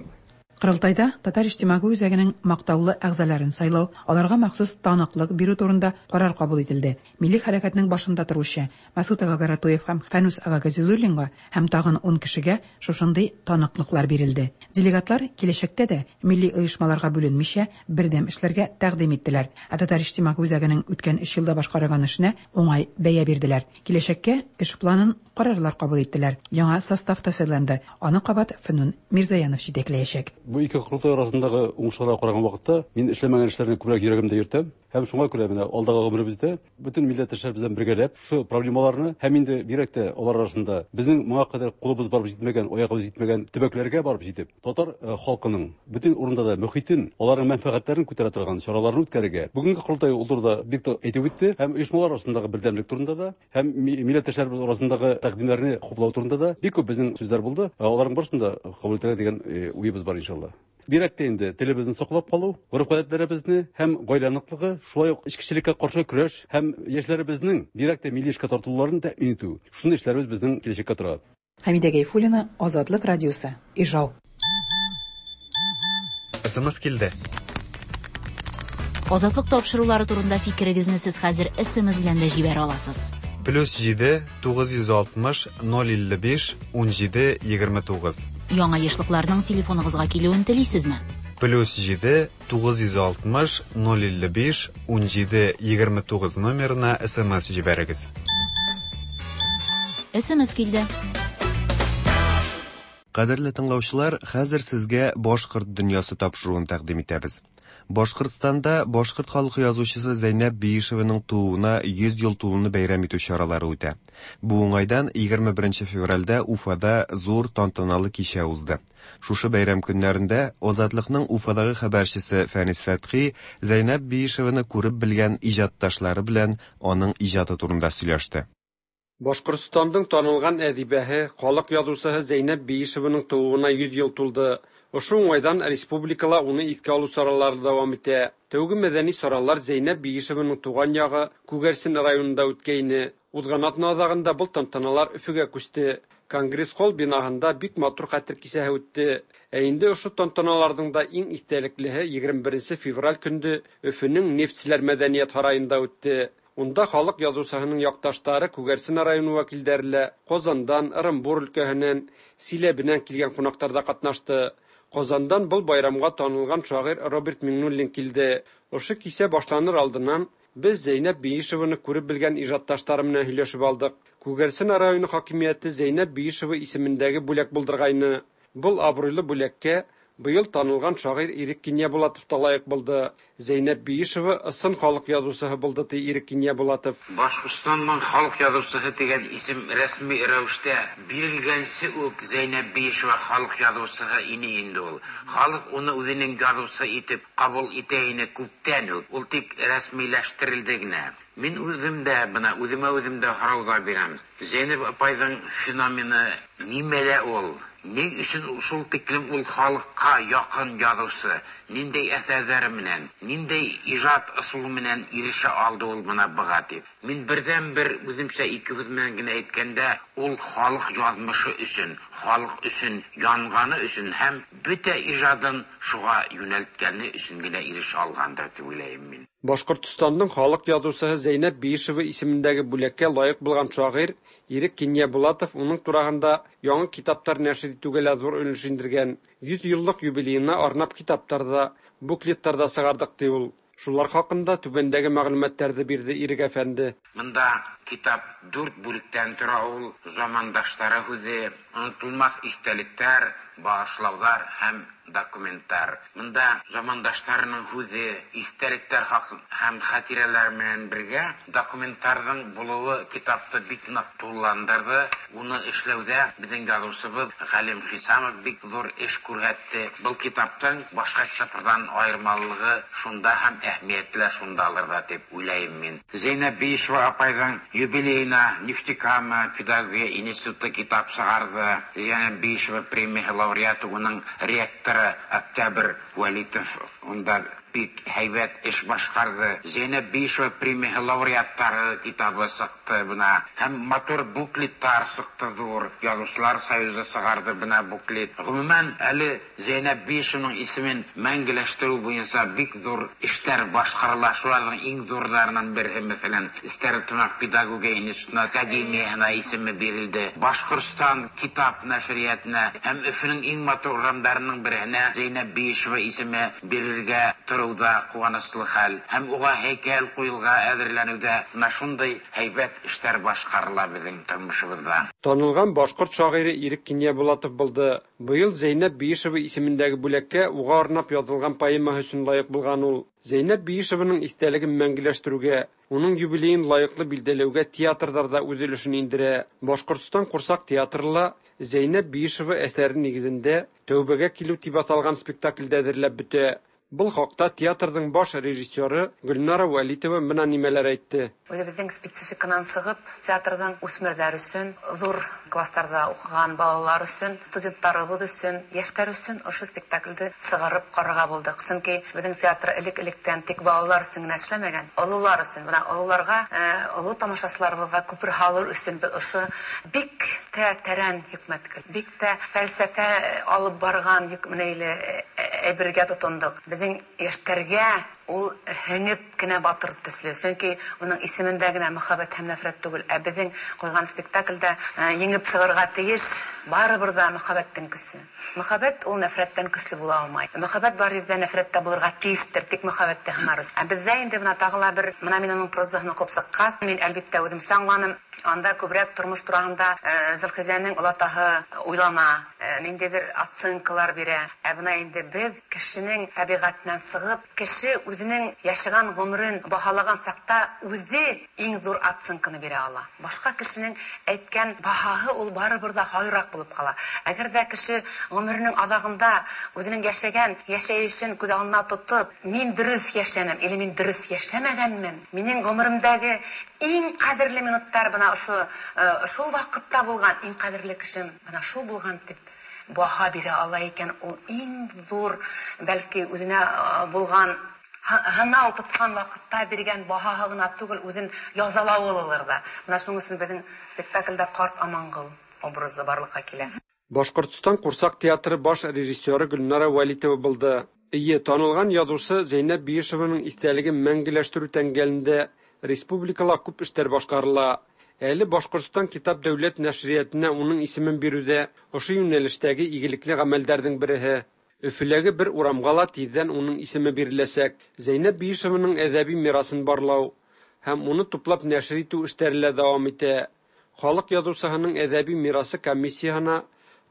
Корылтайда татар иҗтимагый үзәгенең мактаулы әгъзаларын сайлау, аларга махсус таныклык бирү турында карар кабул ителде. Милли хәрәкәтнең башында торучы Мәсгут ага Гаратуев һәм Фәнүс ага Газизуллинга һәм тагын ун кешегә шушындый таныклыклар бирелде. Делегатлар киләчәктә дә милли оешмаларга бүленмичә бердәм эшләргә тәкъдим иттеләр. Ә татар иҗтимагый үзәгенең үткән өч елда башкарган эшенә уңай бәя бирделәр. Киләчәккә эш планын карарлар кабул иттеләр. Яңа состав та сайланды. Аны кабат Фәнүн Мирзаянов җитәкләячәк. Бу ике корылтай арасындагы уңышларга караган вакытта мин эшләмәгән эшләрне күбрәк йөрәгемдә йөртәм. Һәм шуңа күрә менә алдагы гомеребездә бөтен милләттәшләр белән бергәләп шушы проблемаларны һәм инде бигрәк тә алар арасында безнең моңа кадәр кулыбыз барып җитмәгән, аягыбыз җитмәгән төбәкләргә барып җитеп, татар халкының бөтен урында да мөхитен, аларның мәнфәгатьләрен күтәрә торган чараларны үткәрергә. Бүгенге корылтай ул турыда бик тә әйтеп үтте, һәм оешмалар арасындагы бердәмлек турында да, һәм милләттәшләребез арасындагы тәкъдимнәрне хуплау турында да бик күп безнең сүзләр булды. Аларның барысын да кабул итәргә дигән уебыз бар иншалла. Бигрәк тә инде телебезне саклап калу, гореф-гадәтләребезне һәм гаилә ныклыгы, шулай ук эчкечелеккә каршы көрәш һәм яшьләребезнең бигрәк тә милли эшкә тартылуларын тәэмин итү. Шундый эшләребез безнең киләчәккә тора. Хәмидә Гайфуллина, Азатлык радиосы, Ижау. Эс эм эс килде. Азатлык тапшырулары турында фикерегезне сез хәзер эс эм эс белән дә җибәрә аласыз. Плюс җиде, тугыз йөз алтмыш, ноль илле биш, ун җиде, егерме тугыз. Яңа ешлыкларның телефоныгызга килүен телисезме? Плюс җиде, тугыз йөз алтмыш, ноль илле биш, ун җиде, егерме тугыз номерына эс эм эс җибәрегез. эс эм эс килде. Кадерле тыңлаучылар, хәзер сезгә Башкорт дөньясы тапшыруын тәкъдим итәбез. Башкортстанда башкорт халкы язучысы Зәйнәб Биишеваның тууына йөз ел тулуны бәйрәм итү чаралары үтә. Бу уңайдан егерме беренче февральдә Уфада зур тантаналы кичә узды. Шушы бәйрәм көннәрендә Азатлыкның Уфадагы хәбәрчесе Фәнис Фәтхи Зәйнәб Биишеваны күреп белгән иҗатташлары белән аның иҗаты турында сөйләште. Башкортстандың танылган әдибәһе, халык язучысы Зәйнәб Биишеваның тууына йөз ел тулды. Ошо уңайдан республикала уны искә алу чаралары дәвам итә. Тәүге мәдәни чаралар Зәйнәб Биишеваның туган ягы Күгәрсен районында үткәйне. Узган атна азагында был тантаналар Өфөгә күчте. Конгресс-холл бинаһында бик матур хәтер кисәһе үтте. Ә инде ошо тантаналарның да иң истәлеклеһе егерме беренче февраль көндө Өфөнең Нефтселәр мәдәният һараенда үтте. Унда халык язучыһының якташлары Күгәрсен районы вәкилләре лә Казандан, Ырымбур өлкәһеннән, Силәбеннән килгән кунаклар да катнашты. Казандан был байрамга танылган шагыйрь Роберт Миңнуллин килде. Ошо кисә башланыр алдыннан без Зәйнәб Биишеваны күреп белгән ижатташлары менән һөйләшеп алдык. Күгәрсен районы хакимияте Зәйнәб Биишева исемендәге бүләк булдыргайны. Был абруйлы бүләккә быел танылган шагыйрь Ирек Киньябулатов та лайык булды. Зәйнәб Биишева ысын халык язучыһы булды, ди Ирек Киньябулатов. Башкортстанның халык язучыһы дигән исем рәсми рәвештә бирелгәнче үк Зәйнәб Биишева халык язучыһы ине инде ул. Халык уны үзенең язучы итеп кабул итә ине күптән үк. Ул тик рәсмиләштерелде генә. Мин үзем дә бына үземә үзем дә һорау да бирәм. Зәйнәб апайҙың феномены нимәлә ул? Ни өсөн шул тиклем ул халыҡҡа яҡын яҙыусы? Ниндәй әҫәрҙәре менән, ниндәй ижад ысулы менән ирешә алды ул бына быға тип. Мин берҙән-бер үҙемсә ике һүҙ менән генә әйткәндә, ул халыҡ яҙмышы өсөн, халыҡ өсөн янғаны өсөн һәм бөтә ижадын шуға йүнәлткәне өсөн генә ирешә алғандыр тип уйлайым мин. Башҡортостандың халыҡ яҙыусыһы Зәйнәб Биишева исемендәге бүләккә лайыҡ булған шағир Ирек Кинйәбулатов уның тураһында яңы китаптар нәшер итеүгә лә ҙур өлөш индергән. Йөҙ йыллыҡ юбилейына арнап китаптар ҙа, буклеттар ҙа сығарҙыҡ, ти ул. Шулар хаҡында түбәндәге мәғлүмәттәрҙе бирҙе Ирек әфәнде. Бында китап дүрт бүлектән тора ул. Замандаштары һүҙе, онотолмаҫ иҫтәлектәр, бағышлауҙар һәм документтар. Бында замандаштарының һүҙе, иҫтәлектәр һәм хәтирәләр менән бергә документтарҙың булыуы китапты бик ныҡ тулыландырҙы. Уны эшләүҙә беҙҙең яҙыусыбыҙ Ғәлим Хисамов бик ҙур эш күрһәтте. Был китаптың башҡа китаптарҙан айырмалылығы шунда һәм әһәмиәте лә шундалыр ҙа тип уйлайым мин. Зәйнәб Биишева апайҙың юбилейына Нефтекама педагогия институты китап сығарҙы. Зәйнәб Биишева премияһы лауреаты, уның ректоры Октябрь Вәлитов унда бик һәйбәт эш башҡарҙы. Зәйнәб Биишева премияһы лауреаттары китабы сыҡты бына. Һәм матур буклеттар сыҡты ҙур. Яҙыусылар союзы сығарҙы бына буклет. Ғөмүмән, әле Зәйнәб Биишеваның исемен мәңгеләштереү буйынса бик ҙур эштәр башҡарыла. Шуларҙың иң ҙурҙарынан береһе, мәҫәлән, Стәрлетамаҡ педагогия институтына, академияһына исеме бирелде. Башҡортостан китап нәшриәтенә һәм Өфөнөң иң матур урамдарының береһенә Зәйнәб Биишева исеме бирелергә тороуҙа ҡыуаныслы хәл. Һәм уға һәйкәл ҡуйылға әҙерләнеүҙә бына шундай һәйбәт эштәр башҡарыла беҙҙең тормошобоҙҙа. Танылған башҡорт шағиры Ирек Кинйәбулатов булды. Быйыл Зәйнәб Биишева исемендәге бүләккә уға арнап яҙылған поэмаһы өсөн лайыҡ булған ул. Зәйнәб Биишеваның иҫтәлеген мәңгеләштереүгә, уның юбилейын лайыҡлы билдәләүгә театрҙар ҙа үҙ өлөшөн индерә. Башҡортостан ҡурсаҡ театры ла Зәйнәб Биишева әҫәре нигеҙендә «Тәүбәгә килеү» тип аталған спектаклде әҙерләп бөтә. Был хаҡта театрҙың баш режиссеры Гөлнара Вәлитова бына нимәләр әйтте. Үҙебеҙҙең спецификанан сығып, театрҙың үҫмерҙәр өсөн, ҙур кластарҙа уҡыған балалар өсөн, студенттарыбыҙ өсөн, йәштәр өсөн ошо спектаклде сығарып ҡарарға булдыҡ. Сөнки беҙҙең театр элек-электән тик балалар өсөн генә эшләмәгән, ололар өсөн. Бына ололарға, оло тамашасыларыбыҙға күпер һалыр өсөн беҙ ошо бик тә тәрән хикмәт, бик тә фәлсәфә алып барған йөкмәнәйле әйбергә тотондоҡ. Беҙҙең йәштәргә ул һеңеп кенә батыр төҫлө. Сөнки уның исемендә генә мөхәббәт һәм нәфрәт түгел, ә беҙҙең ҡуйған спектаклдә еңеп сығырға тейеш барыбер ҙа мөхәббәттең көсө. Мөхәббәт ул нәфрәттән көслө була алмай. Мөхәббәт бар ерҙә нәфрәт тә булырға тейештер, тик мөхәббәтте һынар өсөн. Ә беҙҙә инде бына тағы ла бер, бына мин уның прозаһын уҡып сыҡҡас, мин әлбиттә үҙемсә аңланым. Анда күберәк тормош тураһында Зөлхизәнең олатаһы уйлана, ниндәйҙер оценкалар бирә. Ә бына инде беҙ кешенең тәбиғәтенән сығып, кеше үҙенең йәшәгән ғүмерен баһалаған саҡта үҙе иң ҙур оценканы бирә ала. Башҡа кешенең әйткән баһаһы ул барыбер ҙа һайыраҡ булып ҡала. Әгәр ҙә кеше ғүмеренең аҙағында үҙенең йәшәгән йәшәйешен күҙ алдына тотоп, мин дөрөҫ йәшәнем или мин дөрөҫ йәшәмәгәнмен, минең ғүмеремдәге иң ҡәҙерле минуттар бына ошо шул ваҡытта булған, иң ҡәҙерле кешем бына шул булған тип баһа бирә ала икән, ул иң ҙур, бәлки үҙенә булған һынау тотҡан ваҡытта биргән баһаһы ғына түгел, үҙен язалауы булыр ҙа. Бына шуның өсөн беҙҙең спектаклдә ҡарт Аманғол образы барлыҡҡа килә. Башҡортостан ҡурсаҡ театры баш режиссеры Гөлнара Вәлитова булды. Эйе, танылған яҙыусы Зәйнәб Биишеваның иҫтәлеген мәңгеләштереү тәңгәлендә республикала күп эштәр башҡарыла. Әле Башҡортостан китап дәүләт нәшриәтенә уның исемен биреүҙә ошо йүнәлештәге игелекле ғәмәлдәрҙең береһе. Өфөләге бер урамға ла тиҙҙән уның исеме биреләсәк. Зәйнәб Биишеваның әҙәби мирасын барлау һәм уны туплап нәшер итеү эштәре лә дауам итә. Халыҡ яҙыусыһының әҙәби мирасы комиссияһына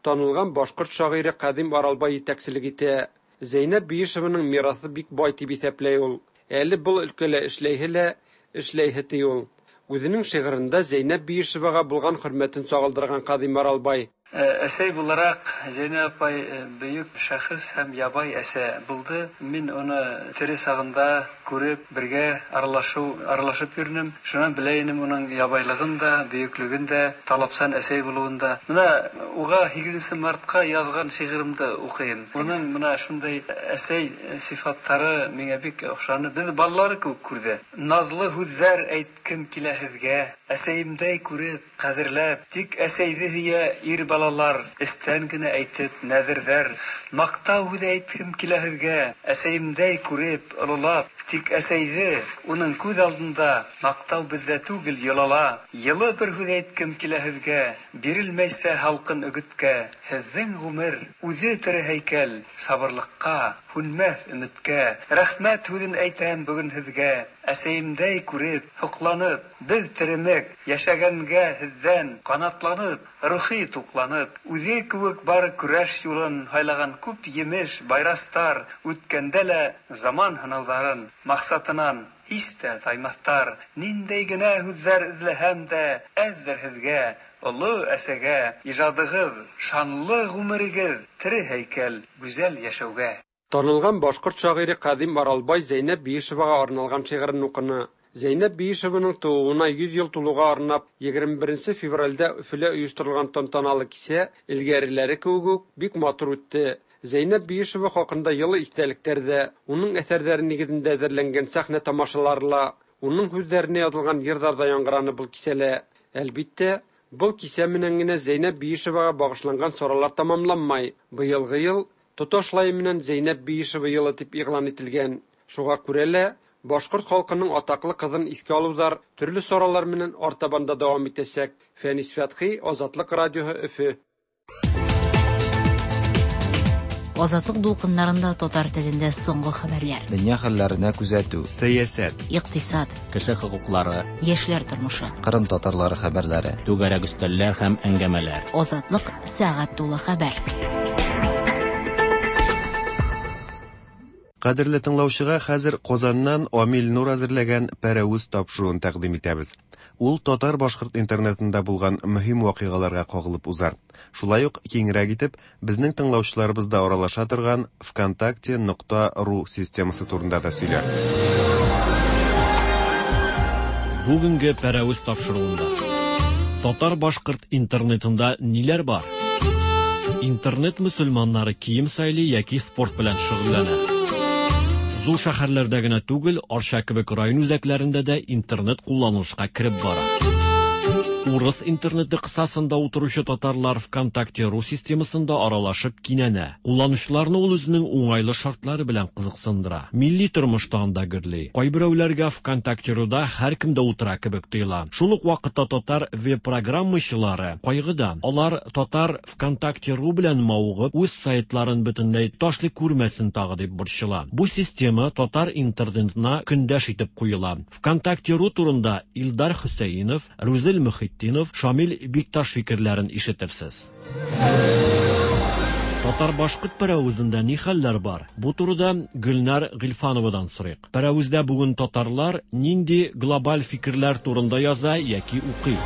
танылған башҡорт шағиры Ҡәҙим Аралбай етәкселек итә. Зәйнәб Биишеваның мираҫы бик бай тип иҫәпләй ул. Әле был өлкәлә эшләйһе лә эшләйһе ти ул. Үҙенең шиғырында Зәйнәб Биишеваға булған хөрмәтен сағылдырған Ҡәҙим Аралбай. Әсәй булараҡ Зәйнәб апай бөйөк шәхес һәм ябай әсә булды. Мин уны тере сағында күреп, бергә аралашу, аралашып йөрдем. Шуннан белә инем уның ябайлыгын да, бөеклеген дә, талапсан әсәй булуын да. Менә уга һигезенче мартка язган шигыремде укыйм. Уның менә шундай әсәй сифатлары миңа бик охшаны. Без балалар күп күрде. Назлы һүҙҙәр әйткем килә һеҙгә, әсәйемдәй күреп, ҡәҙерләп, тик әсәйҙе һөйә ир балалар, эстән генә әйтеп, нәҙерҙәр. Маҡтау һүҙе әйткем килә һеҙгә, әсәйемдәй күреп, ололап, тик әсәйҙе уның күҙ алдында маҡтау беҙҙә түгел йолала. Йылы бер һүҙ әйткем килә һеҙгә, бирелмәйсә һалҡын өгөткә. Һеҙҙең ғүмер үҙе тере һәйкәл, сабырлыҡҡа, һүнмәҫ өмөткә. Рәхмәт һүҙен әйтәм бөгөн һеҙгә, әсәйемдәй күреп, һоҡланып, беҙ теремек, йәшәгәнгә һеҙҙән ҡанатланып, рухи туҡланып, үҙе кеүек бары көрәш юлын һайлаған күп емеш байрастар, үткәндә лә заман һынауҙарын маҡсатынан һис тә таймаҫтар. Ниндәй генә һүҙҙәр эҙләһәм дә, әҙҙер һеҙгә, оло әсәгә, ижадығыҙ, шанлы ғүмерегеҙ, тере һәйкәл, гүзәл йәшәүгә. Танылған башҡорт шағире Ҡәҙим Аралбай Зәйнәб Биишеваға арналған шиғырын уҡыны. Зәйнәб Биишеваның тыуыуына йөҙ йыл тулыуға арнап егерме беренсе февралдә Өфөлә ойошторолған тантаналы кисә элгәреләре кеүек үк бик матур үтте. Зәйнәб Биишева хаҡында йылы иҫтәлектәр ҙә, уның әҫәрҙәре нигеҙендә әҙерләнгән сәхнә тамашалары ла, уның һүҙҙәренә яҙылған йырҙар ҙа яңғыраны был кисәлә. Әлбиттә, был кисә менән генә Зәйнәб Биишеваға бағышланған саралар тамамланмай. Быйылғы йыл тоташлай менән Зәйнәб Биишева йылы тип иғлан ителгән. Шуға күрә лә башҡорт халҡының атаҡлы ҡыҙын иҫкә алыуҙар төрлө саралар менән артабан да дауам итәсәк. Фәнис Фәтхи, Азатлыҡ радиоһы, Өфө. Азатлык дулкыннарында татар телендә соңгы хәбәрләр. Дөнья хәлләренә күзәтү, сәясәт, икътисад, кеше хокуклары, яшьләр тормышы, Кырым татарлары хәбәрләре, түгәрәк өстәлләр һәм әңгәмәләр. Азатлык сәгать тулы хәбәр. Кадерле тыңлаучыга хәзер Казаннан Амил Нур әзерләгән Пәрәүз тапшыруын тәкъдим итәбез. Ул татар-башкорт интернетында булган мөһим вакыйгаларга кагылып узар. Шулай ук киңрәк итеп безнең тыңлаучыларыбызда аралаша торган ВКонтакте нокта ру системасы турында да сөйләр. Бүгенге Пәрәүз тапшыруында татар-башкорт интернетында ниләр бар? Интернет мөселманнары кием сайлый яки спорт белән шөгыльләнә. Зур шәһәрләрдә генә түгел, Арча кебек район үзәкләрендә дә интернет кулланылышка кереп бара. Урыс интернеты кысасында утыручы татарлар ВКонтакте ру системасында аралашып кинәнә. Кулланучыларны ул үзенең уңайлы шартлары белән кызыксындыра. Милли тормышта анда гөрли. Кайберәүләргә ВКонтакте руда һәркем дә утыра кебек тоела. Шул ук вакытта татар веб-программачылары кайгыда. Алар татар ВКонтакте ру белән мавыгып, үз сайтларын бөтенләй ташлый күрмәсен тагы дип борчыла. Бу система татар интернетына көндәш итеп куела. ВКонтакте ру турында Илдар Хөсәйнов, Рузил Мөхетдинов, Шамил Бикташ фикерләрен ишетерсез. Татар-башкорт пәрәвезендә ни хәлләр бар? Бу турыда Гөлнар Гыйльфановадан сорыйк. Пәрәвездә бүген татарлар нинди глобаль фикерләр турында яза яки укый?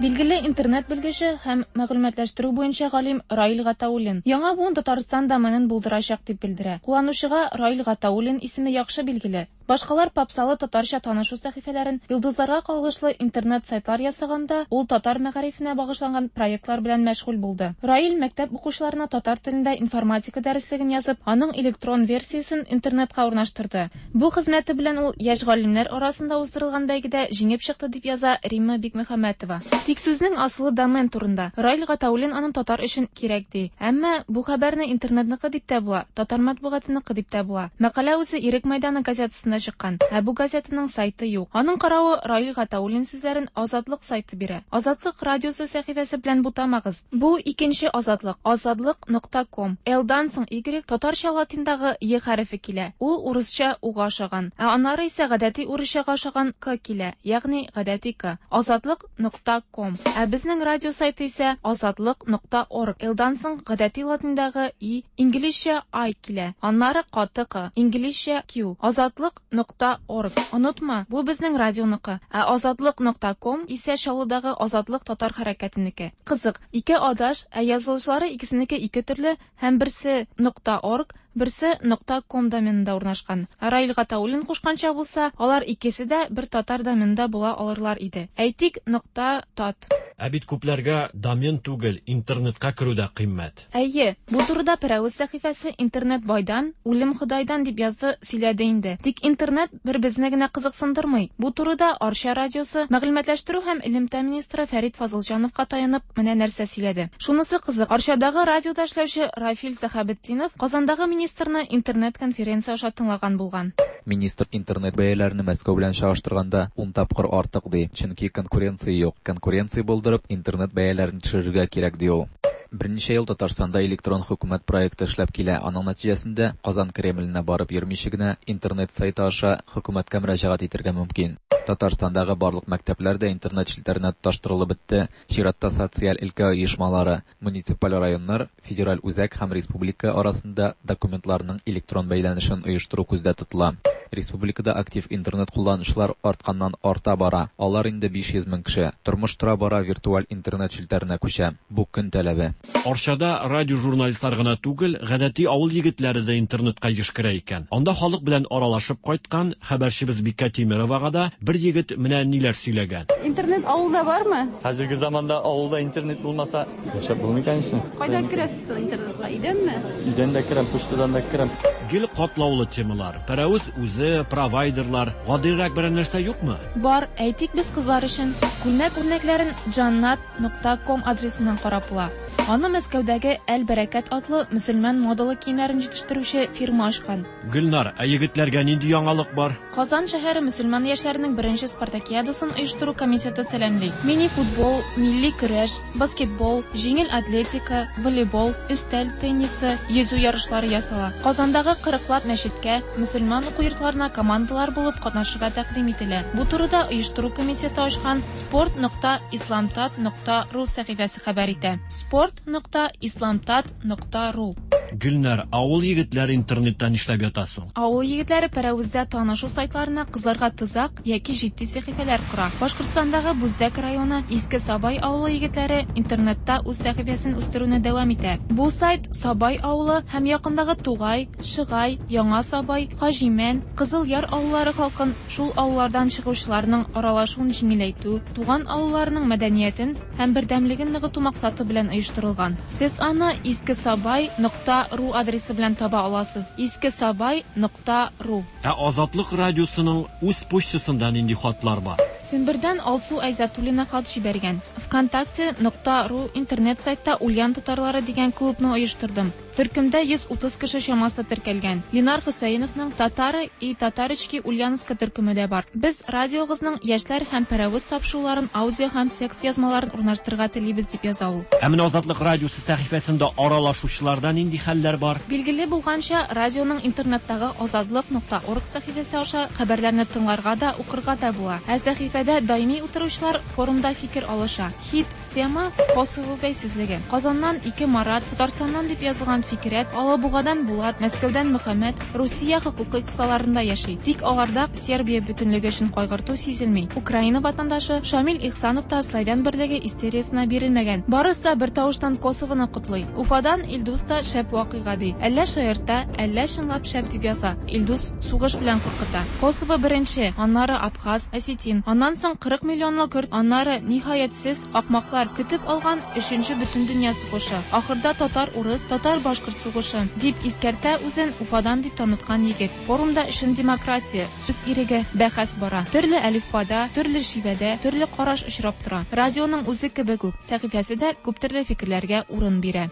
Билгеле интернет белгече һәм мәгълүматлаштыру буенча галим Раил Гатауллин яңа буын Татарстан доменын булдырачак дип белдерә. Кулланучыга Раил Гатауллин исеме яхшы билгеле. Башкалар попсалы татарча танышу сәхифәләрен, йолдызларга кагылышлы интернет сайтлар ясаганда, ул татар мәгарифенә багышланган проектлар белән мәшгуль булды. Раил мәктәп укучыларына татар телендә информатика дәреслеген язып, аның электрон версиясен интернетка урнаштырды. Бу хезмәте белән ул яшь галимнәр арасында уздырылган бәйгедә җиңеп чыкты дип яза Римма Бикмөхәммәтова. Тик сүзнең асылы домен турында. Раил Гатауллин аның татар өчен кирәк ди. Әмма бу хәбәрне интернетныкы дип тә була, татар матбугатыныкы дип тә була. Мәкалә үзе Ирек мәйданы газетасында чыккан. Ә бу газетаның сайты юк. Аның каравы Раил Гатауллин сүзләрен Азатлык сайты бирә. Азатлык радиосы сәхифәсе белән бутамагыз. Бу икенче Азатлык. Азатлык нокта ком. Л-дан соң Y татарча латиндагы Е хәрефе килә. Ул урысча уга ошаган. Ә аннары исә гадәти урысчага ошаган К килә, ягъни гадәти К. Азатлык нокта ком. Ә безнең радио сайты исә азатлык нокта орг. Л-дан соң гадәти латиндагы И, инглизчә I килә. Аннары каты К, инглизчә Q. Азатлык нокта орг. Онытма, бу безнең радионыкы. Ә азатлык нокта ком исә Чаллыдагы Азатлык татар хәрәкәтенеке. Кызык, ике адаш, ә язылышлары икесенеке ике төрле һәм берсе нокта орг, Берсе нокта ком доменында урнашкан. Раил Гатауллин кушканча булса, алар икесе дә бер татар доменында була алырлар иде. Әйтик, нокта тат. Ә бит күпләргә домен түгел, интернетка керү дә кыйммәт. Әйе, бу турыда Пәрәвез сәхифәсе интернет байдан, үлем Ходайдан дип язды, сөйләде инде. Тик интернет бер безне генә кызыксындырмый. Бу турыда Арча радиосы мәгълүматлаштыру һәм элемтә министры Фәрит Фазылҗановка таянып менә нәрсә сөйләде. Шунысы кызык, Арчадагы радиода эшләүче Рафил Сәхәбетдинов Казандагы министрны интернет-конференция аша тыңлаган булган. Министр интернет бәяләрен Мәскәү белән чагыштырганда ун тапкыр артык ди, чөнки конкуренция юк. Конкуренция булдырып, интернет бәяләрен төшерергә кирәк ди ул. Берничә ел Татарстанда электрон хөкүмәт проекты эшләп килә. Аның нәтиҗәсендә Казан Кремленә барып йөрмичә генә интернет сайты аша хөкүмәткә мөрәҗәгать итәргә мөмкин. Татарстандагы барлык мәктәпләр дә интернет челтәренә тоташтырылып бетте. Чиратта социаль өлкә оешмалары, муниципаль районнар, федераль үзәк һәм республика арасында документларның электрон бәйләнешен оештыру күздә тотыла. Республикада актив интернет кулланучылар артканнан арта бара. Алар инде биш йөз мең кеше. Тормыш тора бара виртуаль интернет челтәренә күчә. Бу көн таләбе. Арчада радио журналистлар гына түгел, гадәти авыл егетләре дә интернетка еш керә икән. Анда халык белән аралашып кайткан хәбәрчебез Бикә Тимеровага да бер егет менә ниләр сөйләгән. Интернет авылда бармы? Хәзерге заманда авылда интернет булмаса, яшәп булмый, конечно. Кайдан керәсез соң интернетка? Өйдәнме? Өйдән дә керәм, почтадан да керәм. Гел катлаулы темалар. Пәрәвез үзе, провайдерлар. Гадирәк берәр нәрсә юкмы? Бар, әйтик без кызлар өчен. Күлмәк үрнәкләрен джаннат нокта ком адресыннан карап була. Аны Мәскәүдәге Әл-Бәрәкәт атлы мөселман модалы киемнәрен җитештерүче фирма ачкан. Гөлнар, ә егетләргә нинди яңалык бар? Казан шәһәре мөселман яшьләренең беренче спартакиадасын оештыру комитеты сәламли. Мини-футбол, милли көрәш, баскетбол, җиңел атлетика, волейбол, өстәл теннисы, йөзү ярышлары ясала. Казандагы кырыклап мәчеткә, мөселман уку йортларына командалар булып катнашырга тәкъдим ителә. Бу турыда оештыру комитеты ачкан спорт нокта исламтат нокта ру сәхифәсе хәбәр итә. Спорт нокта исламтат нокта ру. Гөлнар, авыл егетләре интернеттан нишләп ята соң? Авыл егетләре Пәрәвездә танышу сайтларына кызларга тозак яки җитди сәхифәләр кора. Башкортстандагы Бүздәк районы Иске Сабай авылы егетләре интернетта үз сәхифәсен үстерүне дәвам итә. Бу сайт Сабай авылы һәм якындагы Тугай, Шыгай, Яңа Сабай, Хаҗимән, Кызыл Яр авыллары халкын шул авыллардан чыгучыларның аралашуын җиңеләйтү, туган авылларының мәдәниятен һәм бердәмлеген ныгыту максаты белән оештырылган. Сез аны искесабай нокта ру адресы белән таба аласыз. искесабай нокта ру. Ә Азатлык радиосының үз почтасында нинди хатлар бар? Сембердән Алсу Айзатуллина хат җибәргән. ВКонтакте нокта ру интернет сайтта Ульян татарлары дигән клубны оештырдым. Төркемдә йөз утыз кеше чамасы теркәлгән. Ленар Хөсәеновның Татары и Татарочки Ульяновска төркеме дә бар. Без радиогызның яшьләр һәм Пәрәвез тапшыруларын аудио һәм текст язмаларын урнаштырырга телибез дип яза ул. Ә менә Азатлык радиосы сәхифәсендә аралашучыларда нинди хәлләр бар? Билгеле булганча, радионың интернеттагы азатлык нокта орг сәхифәсе аша хәбәрләрне тыңларга да, укырга да була. Ә сәхифәдә даими утыручылар форумда фикер алыша. Хит тема Косово бәйсезлеге. Казаннан ике Марат, Татарстаннан дип язылган Фикрәт, Алабугадан Булат, Мәскәүдән Мөхәммәд Русия хокукы кысаларында яши. Тик аларда Сербия бөтенлеге өчен кайгырту сизелми. Украина ватандашы Шамил Ихсанов та славян берлеге истериясына бирелмәгән. Барысы бер тавыштан Косовоны котлый. Уфадан Илдус та шәп вакыйга ди. Әллә шаярта, әллә чынлап шәп дип яза. Илдус сугыш белән куркыта. Косово беренче, аннары Абхаз, Осетин, аннан соң кырык миллионлы көрд, аннары ниһаятсез акмаклар көтеп алган өченче бөтендөнья сугышы. Ахырда татар-урыс, татар-башкорт сугышы дип искәртә үзен Уфадан дип таныткан егет. Форумда өчен демократия, сүз иреге, бәхәс бара. Төрле әлифбада, төрле шивәдә, төрле караш очрап тора. Радионың үзе кебек үк, сәхифәсе дә күп төрле фикерләргә урын бирә.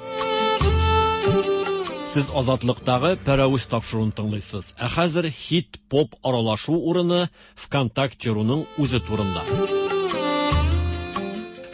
Сез Азатлыктагы Пәрәвез тапшыруын тыңлыйсыз. Ә хәзер хит-поп аралашу урыны ВКонтакте.руның үзе турында.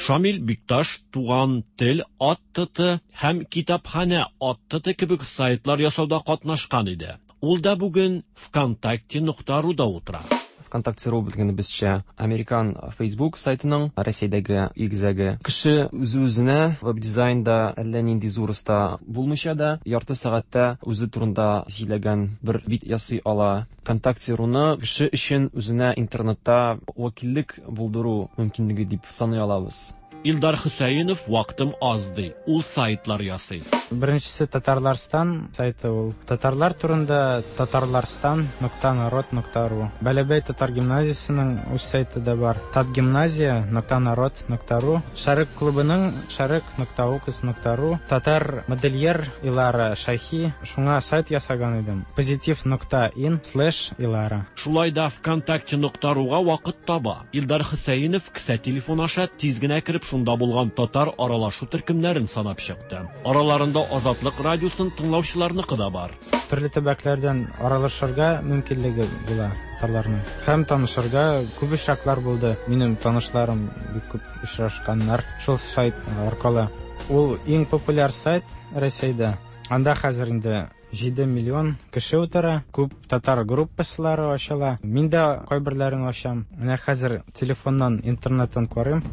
Шамил Бикташ Туган тел ат-т һәм Китапханә ат-т кебек сайтлар ясауда катнашкан иде. Ул да бүген ВКонтакте нокта руда утыра. ВКонтакте.ру белгәнебезчә, американ Facebook сайтының Россиядәге игезәге. Кеше үзе-үзенә веб-дизайнда әллә нинди зур оста булмыйча да, ярты сәгатьтә үзе турында сөйләгән бер бит ясый ала. ВКонтакте.руны кеше өчен үзенә интернетта вәкиллек булдыру мөмкинлеге дип саный алабыз. Илдар Хөсәенов вакытым аз ди. Ул сайтлар ясый. Беренчесе Татарларстан сайты ул. Татарлар турында татарларстан нокта народ нокта ру. Бәләбәй татар гимназиясенең үз сайты да бар. Татгимназия нокта народ нокта ру. Шәрык клубының шәрык нокта укс нокта ру. Татар модельер Илара Шахи шуңа сайт ясаган идем. Позитив нокта ин слэш Илара. Шулай да ВКонтакте нокта руга вакыт таба. Илдар Хөсәенов кесә телефон аша тиз генә кереп шунда булган татар аралашу төркемнәрен санап чыкты. Араларында Азатлык радиосын тыңлаучыларныкы да бар. Төрле төбәкләрдән аралашырга мөмкинлеге була татарларның. Һәм танышырга күп очраклар булды. Минем танышларым бик күп очрашканнар шул сайт аркылы. Ул иң популяр сайт Рәсәйдә. Анда хәзер инде җиде миллион кеше утыра, күп татар группалары ачыла. Мин дә кайберләрен ачам. Менә хәзер телефоннан, интернеттан карыйм.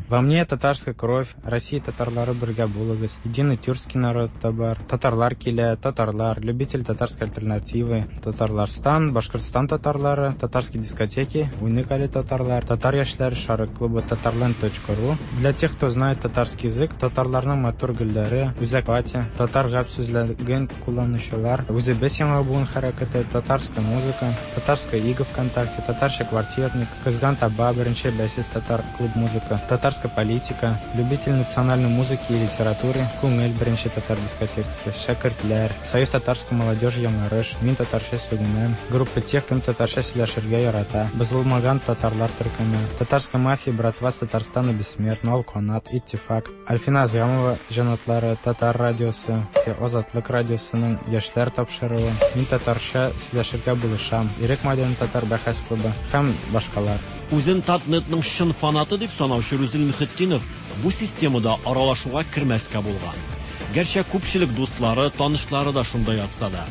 Во мне татарская кровь, Россия татарлары бергә булыгыз, единый тюркский народ та бар, татарлар килә, татарлар, любитель татарской альтернативы, Татарларстан, Башкортстан татарлары, татарские дискотеки, уникали татарлар, татар яшьләре шары клубы татарланд точка ру. Для тех, кто знает татарский язык, татарларның матур гөлләре, үзәк пати, татар гәп сүзлеген кулланучылар, үзебез яңа буын хәрәкәте, татарская музыка, татарская ига ВКонтакте, татарча квартирник, Кызган таба, беренче бәйсез татар клуб музыка, татарская политика, любитель национальной музыки и литературы, Күңел беренче татар дискотекасы, Шәкертләр, Союз татарской молодежи Яңарыш, Мин татарча сүгенәм, группа тех, кем татарча сөйләшергә ярата, Бозылмаган татарлар төркеме, Татарская мафия, братва с Татарстана бессмертна, Алканат, Иттифак, Альфина Азямова җанатлары, Татар радиосы, Азатлык радиосының яшьләр тапшыруы, Мин татарча сөйләшергә булышам, Ирек Мадин татар бәхәс клубы һәм башкалар. Үзен Татнетның чын фанаты дип санаучы Рүзил Мөхетдинов бу системада аралашуга кермәскә булган. Гәрчә күпчелек дуслары, танышлары да шунда ятса да.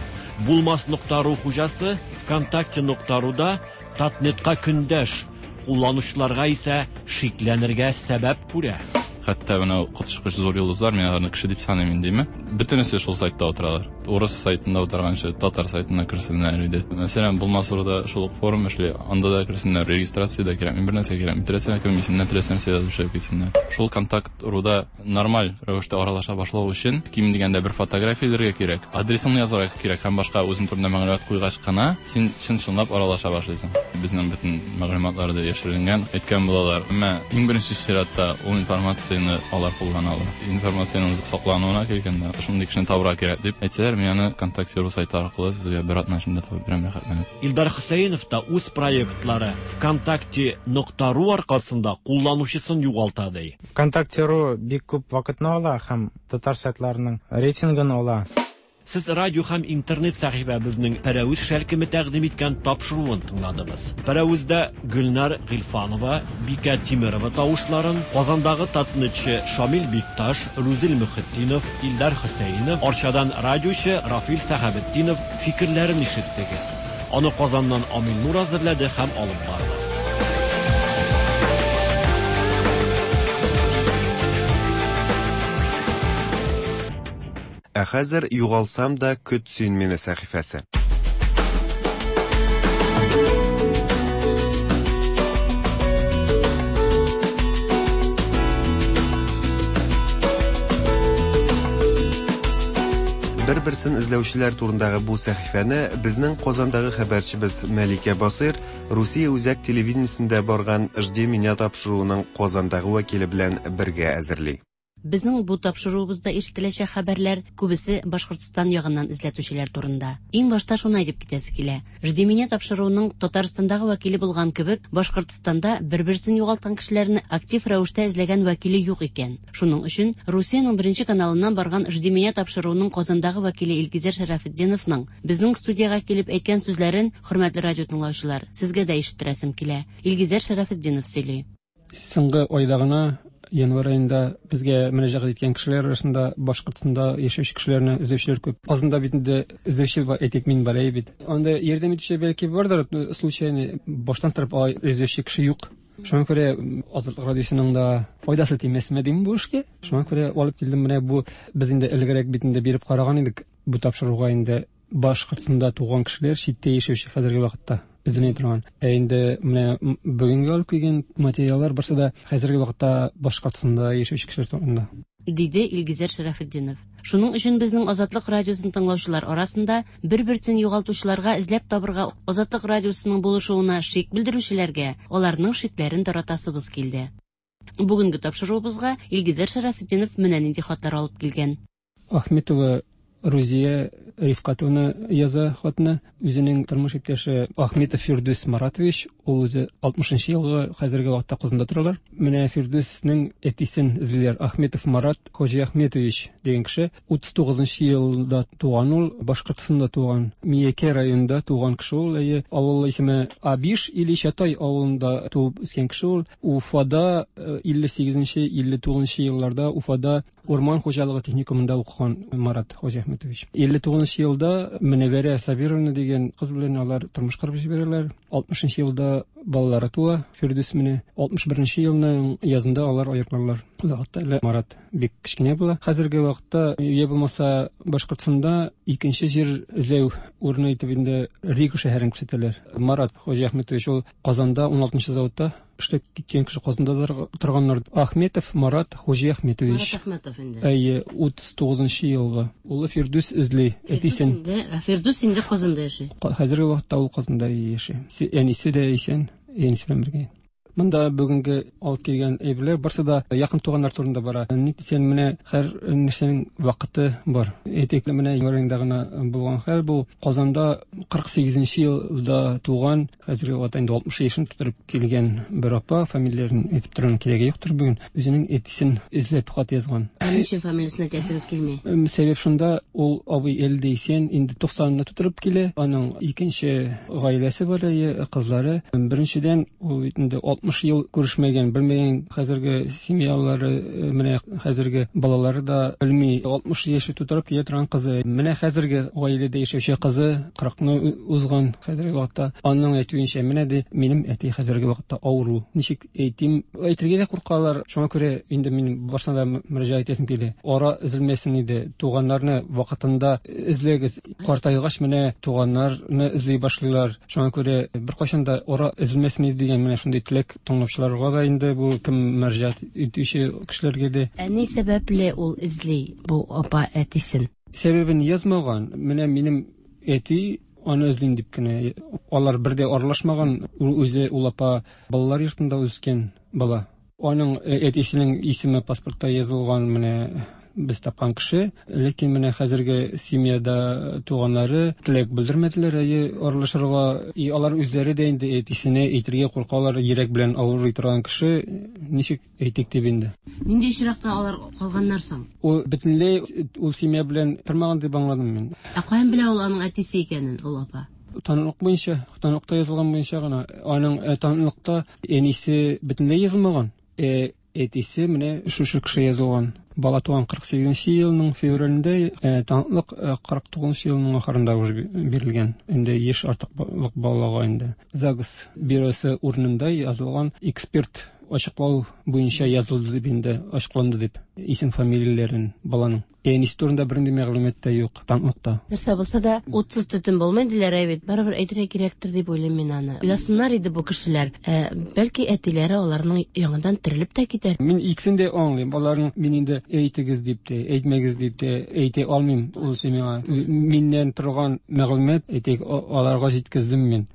Булмас нокта ру хуҗасы ВКонтакте нокта руда Татнетка көндәш, кулланучыларга исә шикләнергә сәбәп күрә. Хәтта менә коточкыч зур йолдызлар, мин аларны кеше дип саныйм инде, бөтенесе шул сайтта утыралар. Урыс сайтында утырганчы татар сайтына керсеннәр иде. Мәсәлән, Булмас руда шул ук форум эшли, анда да керсеннәр, регистрация да кирәк, бер нәрсә кирәк, теләсә кем исеменнән теләсә нәрсә язып чыгып китсеннәр. Шул контакт руда нормаль рәвештә аралаша башлау өчен ким дигәндә бер фотография элергә кирәк, адресыңны язарга кирәк һәм башка үзең турында мәгълүмат куйгач кына син чын-чынлап аралаша башлыйсың. Безнең бөтен мәгълүматлар да яшерелгән, әйткән булалар. Әмма иң беренче чиратта ул информацияне алар куллана ала. Информациянең саклануына килгәндә, шундый кешене табырга кирәк дип әйтсәләр, мин аны ВКонтакте ру сайты аркылы сезгә бер атна эчендә табып бирәм, рәхәтләнеп. Илдар Хөсәенов та үз проектлары ВКонтакте нокта ру аркасында кулланучысын югалта ди. ВКонтакте ру бик күп вакытны ала һәм татар сайтларының рейтингын ала. Сез радио һәм интернет сәхифәбезнең Пәрәвез шәлкеме тәкъдим иткән тапшыруын тыңладыгыз. Пәрәвездә Гөлнар Гыйльфанова, Бикә Тимерова тавышларын, Казандагы татнетчы Шамил Бикташ, Рүзил Мөхетдинов, Илдар Хөсәенов, Арчадан радиочы Рафил Сәхәбетдинов фикерләрен ишеттегез. Аны Казаннан Амил Нур әзерләде һәм алып барды. Ә хәзер югалсам да көт син мине сәхифәсе. Бер-берсен эзләүчеләр турындагы бу сәхифәне безнең Казандагы хәбәрчебез Мәликә Басыйр Русия үзәк телевидениесендә барган Жди меня тапшыруының Казандагы вәкиле белән бергә әзерли. Безнең бу тапшыруыбызда ишетеләчәк хәбәрләр күбесе Башкортстан ягыннан эзләтүчеләр турында. Иң башта шуны әйтеп китәсе килә. Жди меня тапшыруының Татарстандагы вәкиле булган кебек, Башкортстанда бер-берсен югалткан кешеләрне актив рәвештә эзләгән вәкиле юк икән. Шуның өчен Русиянең беренче каналыннан барган Жди меня тапшыруының Казандагы вәкиле Илгизәр Шәрәфетдиновның безнең студиягә килеп әйткән сүзләрен, хөрмәтле радио тыңлаучылар, сезгә дә ишеттерәсем килә. Илгизәр Шәрәфетдинов сөйли. Соңгы айда гына, январь айында безгә мөрәҗәгать иткән кешеләр арасында Башкортстанда яшәүче кешеләрне эзләүчеләр күп. Казанда бит инде эзләүче бар, әйтик, мин бар бит. Анда ярдәм итүче бәлки бардыр, случайно баштан торып алай эзләүче кеше юк. Шуңа күрә Азатлык радиосының да файдасы тимәсме дим бу эшкә. Шуңа күрә алып килдем менә бу, без инде элегрәк бит инде биреп караган идек бу тапшыруга инде Башкортстанда туган кешеләр, читтә яшәүче хәзерге вакытта. эзләнә торган. Ә инде менә бүгенге алып килгән материаллар барсы да хәзерге вакытта Башкортстанда яшәүче кешеләр турында. Диде Илгизәр Шәрәфетдинов. Шуның өчен безнең Азатлык радиосын тыңлаучылар арасында бер-берсен югалтучыларга эзләп табырга Азатлык радиосының булышуына шик белдерүчеләргә аларның шикләрен таратасыбыз килде. Бүгенге тапшыруыбызга Илгизәр Шәрәфетдинов менә нинди хатлар алып килгән. Ахметова Рузия Рифкатовна яза хатны. Үзенең тормыш иптәше Ахметов Фирдүс Маратович, ул үзе алтмышынчы елгы, хәзерге вакытта Казанда торалар. Менә Фирдүснең әтисен эзлиләр. Ахметов Марат Хоҗи Ахметович дигән кеше утыз тугызынчы елда туган ул, Башкортстанда туган, Миякә районында туган кеше ул. Әйе, авыл исеме Абиш или Чатай авылында туып үскән кеше ул. Уфада илле сигезенче, илле тугызынчы елларда Уфада урман хуҗалыгы техникумында укыган Марат Хоҗи Ахметович. илле тугызынчы елда Мөнәвәрә Сабировна дигән кыз белән алар тормыш корып җибәрәләр. Алтмышынчы елда балалары туа, Фирдүс менә. Алтмыш беренче елның язында алар аерылалар. Ул вакытта әле Марат бик кечкенә була. Хәзерге вакытта, я булмаса Башкортстанда икенче җир эзләү урыны итеп инде Рига шәһәрен күрсәтәләр. Марат Хоҗи Ахметович ул Казанда ун алтынчы заводта эшләп киткән кеше, Казанда торганнар. Ахметов Марат Хоҗи Ахметович. Марат Ахметов инде. Әйе, утыз тугызынчы елгы. Улы Фирдүс эзли әтисен. Фирдүс инде Казанда яши. Хәзерге вакытта ул Казанда яши. Әнисе дә исән, әнисе белән бергә. Монда бүгенге алып килгән әйберләр барсы да якын туганнар турында бара. Ник дисәң, менә һәр нәрсәнең вакыты бар. Әйтик, менә январьда гына булган хәл бу. Казанда кырык сигезенче елда туган, хәзерге вакытта инде алтмыш яшен тутырып килгән бер апа, фамилияләрен әйтеп торуның кирәге юктыр бүген. Үзенең әтисен эзләп хат язган. Ә ни өчен фамилиясен әйтәсегез килми? Сәбәп шунда, ул абый әле дә исән, инде туксанны тутырып килә. Аның икенче гаиләсе бар, кызлары. Беренчедән, ул инде алтмыш ел күрешмәгән, белмәгән хәзерге семьялары, менә хәзерге балалары да белми. Алтмыш яше тутырып килә торган кызы, менә хәзерге гаиләдә яшәүче кызы кырыкны узган хәзерге вакытта. Аның әйтүенчә, менә ди, минем әти хәзерге вакытта авыру. Ничек әйтим, әйтергә дә куркалар. Шуңа күрә инде мин барсына да мөрәҗәгать итәсем килә. Ара өзелмәсен иде, туганнарны вакытында эзләгез. Картайгач менә туганнарны эзли башлыйлар. Шуңа күрә беркайчан да ара өзелмәсен иде дигән менә шундый теләк тыңлаучыларга да инде, бу кем мөрәҗәгать итүче кешеләргә дә. Ә ни сәбәпле ул эзли бу апа әтисен? Сәбәбен язмаган. Менә минем әти аны эзлим дип кенә. Алар бер дә аралашмаган. Ул үзе, ул апа балалар йортында үскән бала. Аның әтисенең исеме паспортта язылган, менә без тапкан кеше. Ләкин менә хәзерге семьяда туганнары теләк белдермәделәр әйе аралашырга. И алар үзләре дә инде әтисенә әйтергә куркалар, йөрәк белән авырый торган кеше, ничек әйтик дип инде. Нинди очракта алар калганнар соң? Ул бөтенләй ул семья белән тормаган дип аңладым мин. Ә каян белә ул аның әтисе икәнен, ул апа? Таныклык буенча, таныклыкта язылган буенча гына. Аның таныклыкта әнисе бөтенләй язылмаган. Ә әтисе менә шушы кеше язылган. Бала туган кырык сигезенче елның февралендә, таныклык кырык тугызынчы елның ахырында уже бирелгән. Инде яшь артыклык балага инде. ЗАГС бюросы урынында язылган эксперт ачыклау буенча язылды дип инде, ачыкланды дип исем фамилияләрен баланың. Әнисе турында бернинди мәгълүмат та юк таныклыкта. Нәрсә булса да утсыз төтен булмый диләр бит. Барыбер әйтергә кирәктер дип уйлыйм мин аны. Уйласыннар иде бу кешеләр. Ә, бәлки әтиләре аларның яңадан терелеп тә китәр. Мин икесен дә аңлыйм. Аларның мин инде әйтегез дип тә, әйтмәгез дип тә әйтә алмыйм. Ул миңа миннән торган мәгълүмат әйтик, аларга җиткездем мин.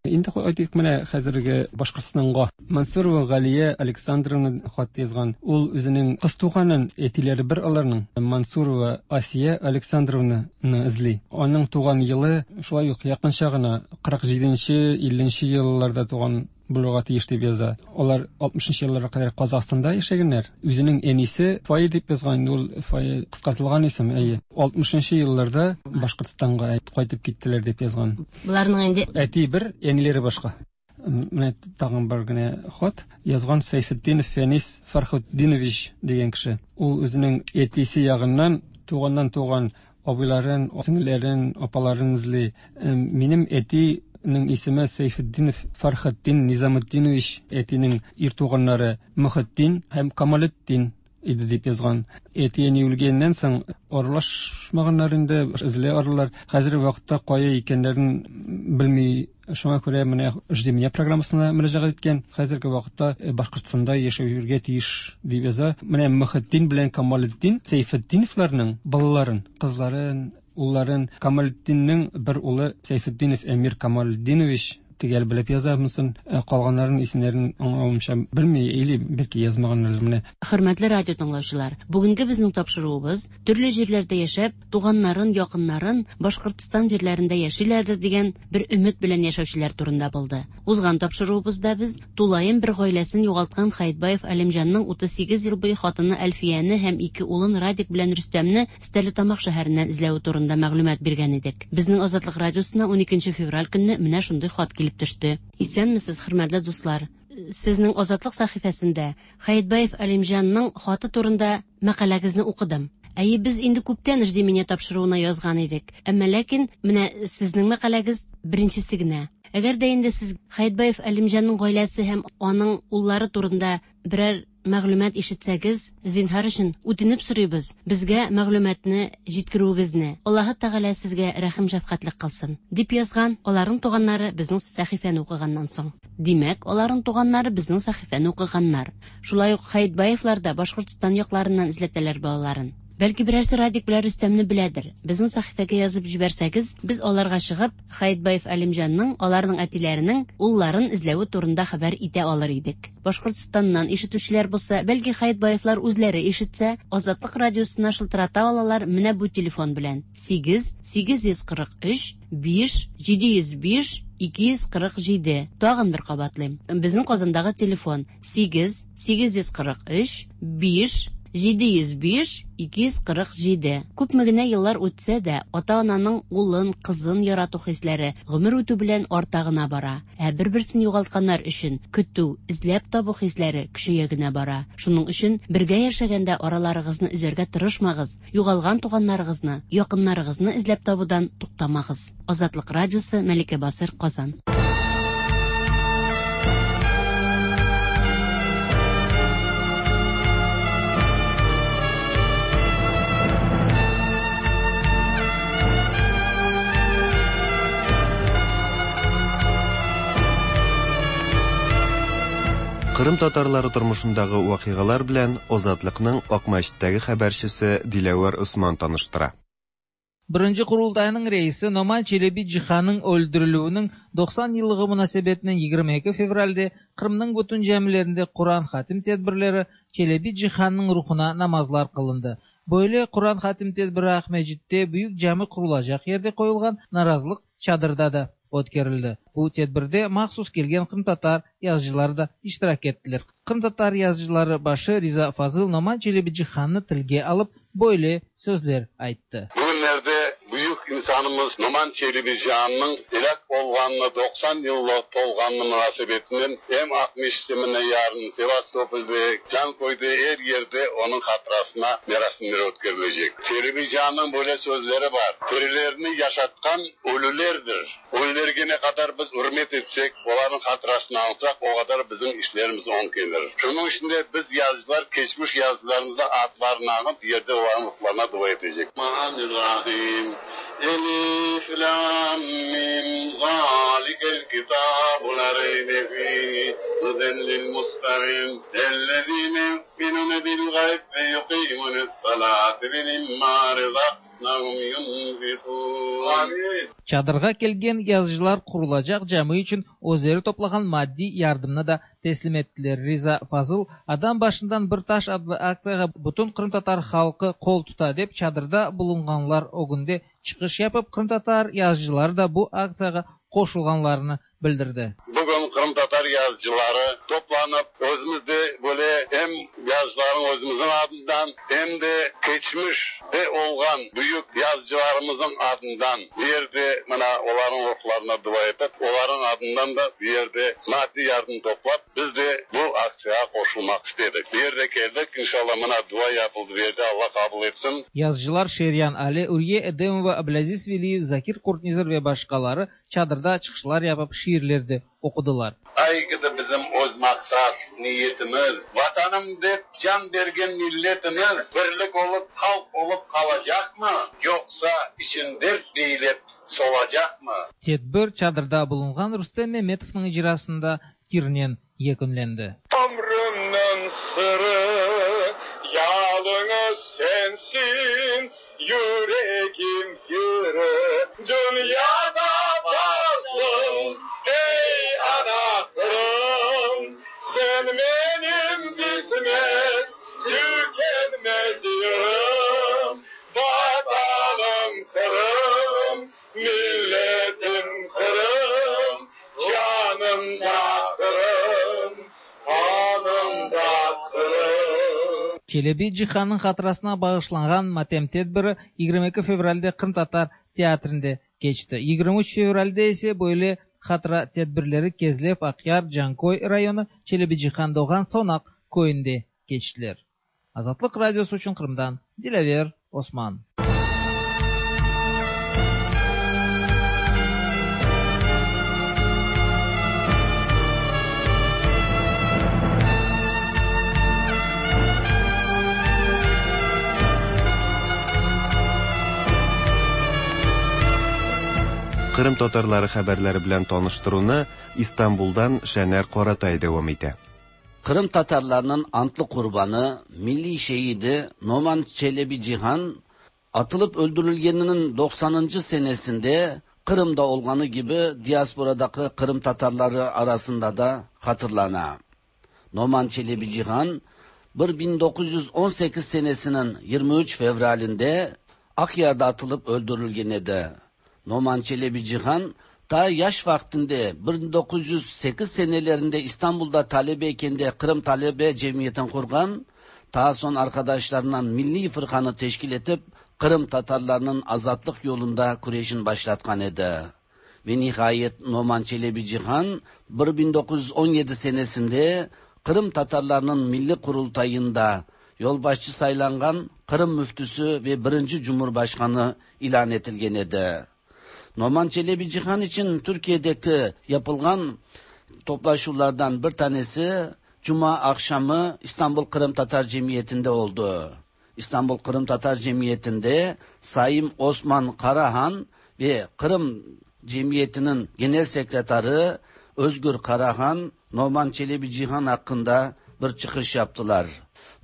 Инде әйтик, менә хәзерге Башкортстанга Мансурова Галия Александровна хат язган. Ул үзенең кыз туганын, әтиләре бер аларның, Мансурова Асия Александровнаны эзли. Аның туган елы шулай ук якынча гына кырык җиденче, илленче елларда туган булырга тиеш дип яза. Алар алтмышынчы елларга кадәр Казахстанда яшәгәннәр. Үзенең әнисе Фая дип язган, ул Фая кыскартылган исем, әйе. Алтмышынчы елларда Башкортстанга кайтып киттеләр дип язган. Буларның инде әти бер, әниләре башка. Менә тагын бер генә хат язган Сәйфетдинов Фәнис Фархутдинович дигән кеше. Ул үзенең әтисе ягыннан туганнан туган абыйларын, сеңелләрен, апаларын эзли. Минем әти ның исеме Сәйфетдинов Фархатдин Низамутдинович, әтинең ир туганнары Мөхетдин һәм Камалетдин. иде дип язган. Әти-әни үлгәннән соң аралашмаганнар инде, эзли аралар. Хәзерге вакытта кая икәннәрен белми. Шуңа күрә менә «Жди меня» программасына мөрәҗәгать иткән. Хәзерге вакытта Башкортстанда яшәүгә тиеш дип яза. Менә Мөхетдин белән Камалетдин Сәйфетдиновларның балаларын, кызларын, улларын, Камалетдиннең бер улы Сәйфетдинов Әмир Камалетдинович төгәл белеп яза монысын, калганнарының исемнәрен аңлавымча белми, или бәлки язмаганнар менә. Хөрмәтле радио тыңлаучылар, бүгенге безнең тапшыруыбыз төрле җирләрдә яшәп, туганнарын, якыннарын Башкортстан җирләрендә яшиләрдер дигән бер өмет белән яшәүчеләр турында булды. Узган тапшыруыбызда без тулаем бер гаиләсен югалткан Хәетбаев Әлимҗанның утыз сигез ел буе хатыны Әлфияне һәм ике улын Радик белән Рөстәмне Стәрлетамак шәһәреннән эзләве турында мәгълүмат биргән идек. Безнең Азатлык радиосына уникенче февраль көнне менә шундый хат килеп төште. Исәнмесез, хөрмәтле дуслар. Сезнең Азатлык сәхифәсендә Хәетбаев Әлимҗанның хаты турында мәкаләгезне укыдым. Әйе, без инде күптән «Жди меня» тапшыруына язган идек. Әмма ләкин менә сезнең мәкаләгез беренчесе генә. Әгәр дә инде сез Хәетбаев Әлимҗанның гаиләсе һәм аның уллары турында берәр мәгълүмат ишетсәгез, зинһар өчен үтенеп сорыйбыз, безгә мәгълүматны җиткерүегезне. Аллаһы Тәгалә сезгә рәхим шәфкатьлек кылсын, дип язган аларның туганнары безнең сәхифәне укыганнан соң. Димәк, аларның туганнары безнең сәхифәне укыганнар. Шулай ук Хәетбаевлар да Башкортстан якларыннан эзләтәләр балаларын. Бәлки берәрсе Радик белән Рөстәмне беләдер. Безнең сәхифәгә язып җибәрсәгез, без аларга чыгып, Хәетбаев Әлимҗанның, аларның әтиләренең улларын эзләве турында хәбәр итә алыр идек. Башкортстаннан ишетүчеләр булса, бәлки Хәетбаевлар үзләре ишетсә, Азатлык радиосына шылтырата алалар менә бу телефон белән: сигез сигез йөз кырык өч биш җиде йөз биш ике йөз кырык җиде. Тагын бер кабатлыйм. Безнең Казандагы телефон сигез сигез йөз кырык өч биш җиде йөз биш ике йөз кырык җиде. Күпме генә еллар үтсә дә, ата-ананың улын, кызын ярату хисләре гомер үтү белән арта гына бара. Ә бер-берсен югалтканнар өчен көтү, эзләп табу хисләре көчәя генә бара. Шуның өчен бергә яшәгәндә араларыгызны өзәргә тырышмагыз, югалган туганнарыгызны, якыннарыгызны эзләп табудан туктамагыз. Азатлык радиосы, Мәликә Басыр, Казан. Кырым татарлары тормышындагы вакыйгалар белән Азатлыкның Акмәчеттәге хәбәрчесе Диләвәр Усман таныштыра. Birinci Kurultayının reisi Noman Çelebi Cihan'ın öldürülüğünün doksan yıllığı münasebetinin yigirma ikki fevralde Kırım'ın bütün camilerinde Kur'an hatim tedbirleri Çelebi Cihan'ın ruhuna namazlar kılındı. Böyle Kur'an hatim tedbiri Akmecit'te büyük cami kurulacak yerde koyulgan narazılık çadırda da ötkerildi. Bu tedbirde mahsus kelgen Kırım Tatar yazıcıları da iştirak ettiler. Kırım Tatar yazıcıları başı Riza Fazıl Noman Çelebi Cihan'ı tilge alıp böyle sözler ayttı. Bugünlerde büyük insanımız Noman Çelebi Cihan'ın helak olğanını doksan yıllık tolğanını münasebetinin hem Akmeşit'ine yarın Sevastopol'de can koyduğu her yerde onun hatırasına merasimleri ötkerilecek. Çelebi Cihan'ın böyle sözleri var. Terilerini yaşatkan ölülerdir. Ölülerge ne kadar biz hürmet etsek, onların hatırasını alsak o kadar bizim işlerimiz on gelir. Şunun içinde biz yazıcılar, geçmiş yazıcılarımızda adlarını alıp yerde onların ruhlarına dua edecek. Rahim. Elif, Lam, Mim, Zalikel kitabu la reybe fihi, huden lil muttaqin, ellezine yu'minune bil gayb ve yuqimune s-salate ve mimma razaqnahum yunfiqun. Çadırğa kelgen yazıcılar kurulacak cami için özleri toplagan maddi yardımını da teslim ettiler. Riza Fazıl adam başından bir taş adlı aktsiyaga bütün Kırım Tatar halkı kol tuta dep çadırda bulunganlar o günde çıkış yapıp Kırım Tatar yazıcıları da bu aktsiyaga qoşulganlarını bildirdi. Bugün Kırım Tatar yazıcıları toplanıp özümüzde böyle hem yazıcıların özümüzün adından hem de geçmişte olgan büyük yazıcılarımızın adından bir yerde mına onların ruhlarına dua etip onların adından da bir yerde maddi yardım toplap biz de bu aksiyaya qoşulmak istedik. Bir yerde geldik inşallah mına dua yapıldı bir yerde Allah kabul etsin. Yazıcılar Şeryan Ali, Uriye Edemova, Ablaziz Veliyev, Zakir Kurtnizar ve başkaları çadırda çıqışlar yapıp, şiirler de oqudılar. Aygıdı bizim öz maqsad, niyetimiz, vatanım dep can bergen milletimiz birlik olup, halq olıp qalacaqmı, yoqsa için dert beylep solacaqmı? Tedbir çadırda bulunğan Rustem Memetovnıñ icrasında yırnen yekünlendi. Ömrümniñ sırı yalıñız sensin, yüregim yırı dünyada varsın, ey ana Qırım, sen benim bitmez, tükenmez yırım, vatanım Qırım, milletim Qırım, canım da Qırım, kanım da Qırım. Çelebi Cihannıñ hatırasına bağışlanğan matem tedbiri yigirmi eki fevralde Qırımtatar teatrinde keçti. Yigirmi üç fevralde ise böyle hatıra tedbirleri Kezlev, Aqyar, Canköy rayonı, Çelebi Cihan doğğan Sonaq köyünde keçtiler. Azatlıq Radiosı içün Qırımdan Dilâver Osman. Qırım tatarları haberleri bilen tanıştıruvnı İstanbuldan Şener Qaratay devam ete. Qırım tatarlarınıñ antlı qurbanı, milliy şehidi Noman Çelebi Cihan atılıp öldürülgeniniñ doqsanıncı senesinde Qırımda olğanı kibi diasporadaki Qırım tatarları arasında da hatırlana. Noman Çelebi Cihan bin doquz yüz on sekiz senesiniñ yigirmi üç fevralinde Aqyarda atılıp öldürülgen edi. Noman Çelebi Cihan ta yaş vaqtında bin doquz yüz sekiz senelerinde İstanbul'da talebeyken de Qırım Talebe Cemiyeti'ni qurğan, ta soñ arkadaşlarından Milliy Fırqanı teşkil etip Qırım tatarlarınıñ azatlıq yolunda küreşin başlatqan edi. Ve nihayet Noman Çelebi Cihan bin doquz yüz on yedi senesinde Qırım tatarlarınıñ Milliy Qurultayında yolbaşçı saylanğan Qırım müftüsü ve birinci Cumhurbaşqanı ilan etilgen edi. Noman Çelebi Cihan için Türkiye'deki yapılğan toplaşuvlardan bir tanesi Cuma akşamı İstanbul Qırım Tatar Cemiyeti'nde oldu. İstanbul Qırım Tatar Cemiyeti'nde Sayın Osman Karahan ve Qırım Cemiyeti'nin Genel Sekreteri Özgür Karahan, Noman Çelebi Cihan hakkında bir çıkış yaptılar.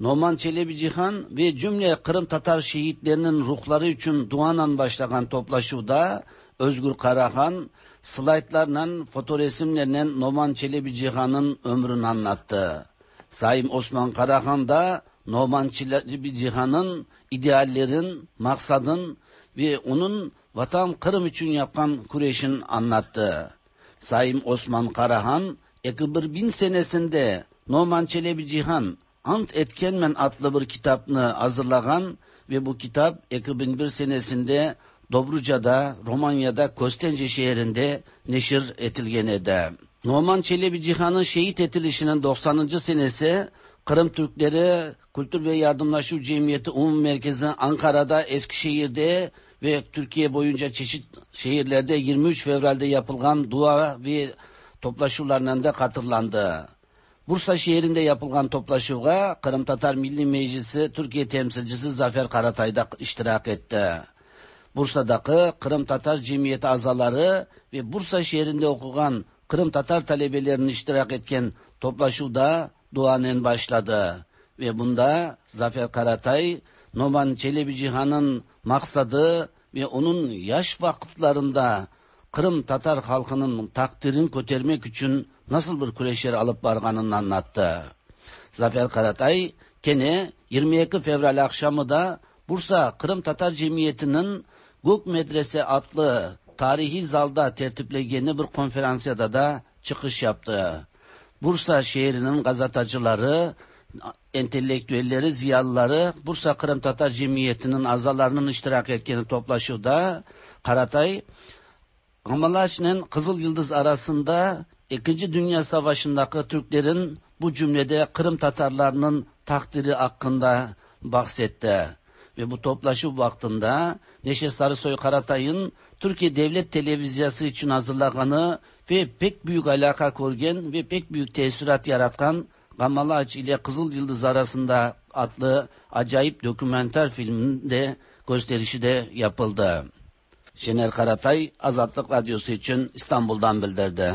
Noman Çelebi Cihan ve cümle Qırım Tatar şehitlerinin ruhları için duanan başlagan toplaşuvda Özgür Karahan slaytlarla, fotoresimlerle Noman Çelebi Cihan'ın ömrünü anlattı. Sayın Osman Karahan da Noman Çelebi Cihan'ın ideallerin, maksadın ve onun vatan Kırım için yapkan küreşin anlattı. Sayın Osman Karahan, iki bin senesinde Noman Çelebi Cihan Ant Etkenmen adlı bir kitabını hazırlagan ve bu kitap iki bin bir senesinde Dobruca'da, Romanya'da, Köstence şehrinde neşir etilgen edi. Noman Çelebi Cihan'ın şehit etilişinin doqsanıncı senesi Qırım Türkleri Kültür ve Yardımlaşuv Cemiyeti Umum Merkezi Ankara'da, Eskişehir'de ve Türkiye boyunca çeşit şehirlerde yirmi üç Fevral'de yapılgan dua ve toplaşuvlarla da hatırlandı. Bursa şehrinde yapılgan toplaşuvğa Qırım Tatar Milli Meclisi Türkiye temsilcisi Zafer Karatay da iştirak etti. Bursa'daki Qırım Tatar Cemiyeti azaları ve Bursa şehrinde okugan Qırım Tatar talebelerinin iştirak etken toplaşuvda duanen başladı. Ve bunda Zafer Karatay, Noman Çelebi Cihan'ın maksadı ve onun yaş vakitlerinde Qırım Tatar halkının takdirini kötermek için nasıl bir küreşler alıp barganını anlattı. Zafer Karatay, kene yirmi iki Fevral akşamı da Bursa Qırım Tatar Cemiyeti'nin Gök Medrese adlı tarihi zalda tertiplegeni bir konferansiyada da çıkış yaptı. Bursa şehrinin gazetacıları, entelektüelleri, ziyalıları Bursa Qırım Tatar Cemiyeti'nin azalarının iştirak etkeni toplaşuvda Karatay, Gamalaç'ın Kızıl Yıldız arasında İkinci Dünya Savaşı'ndaki Türklerin bu cümlede Kırım Tatarlarının takdiri hakkında bahsetti. Ve bu toplaşu vaktinde Neşe Sarısoy Karatay'ın Türkiye Devlet Televizyası için hazırlaganı ve pek büyük alaka korgen ve pek büyük tesirат yaratkan Gamalaç ile Kızıl Yıldız arasında adlı acayip dokümenter filmin de gösterişi de yapıldı. Şener Karatay, Azatlık Radyosu için İstanbul'dan bildirdi.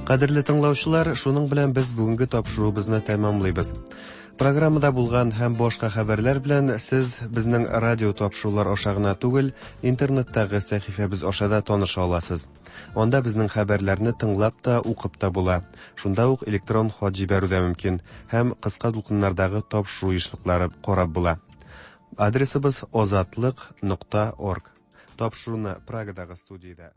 Кадерле тыңлаучылар, шуның белән без бүгенге тапшыруыбызны тәмамлыйбыз. Программада булган һәм башка хәбәрләр белән сез безнең радио тапшырулар аша гына түгел, интернеттагы сәхифәбез аша да таныша аласыз. Анда безнең хәбәрләрне тыңлап та, укып та була. Шунда ук электрон хат җибәрү дә мөмкин һәм кыска дулкыннардагы тапшыру ешлыклары карап була. Адресыбыз озатлык нокта орг. Тапшыруны Прагадагы студиядә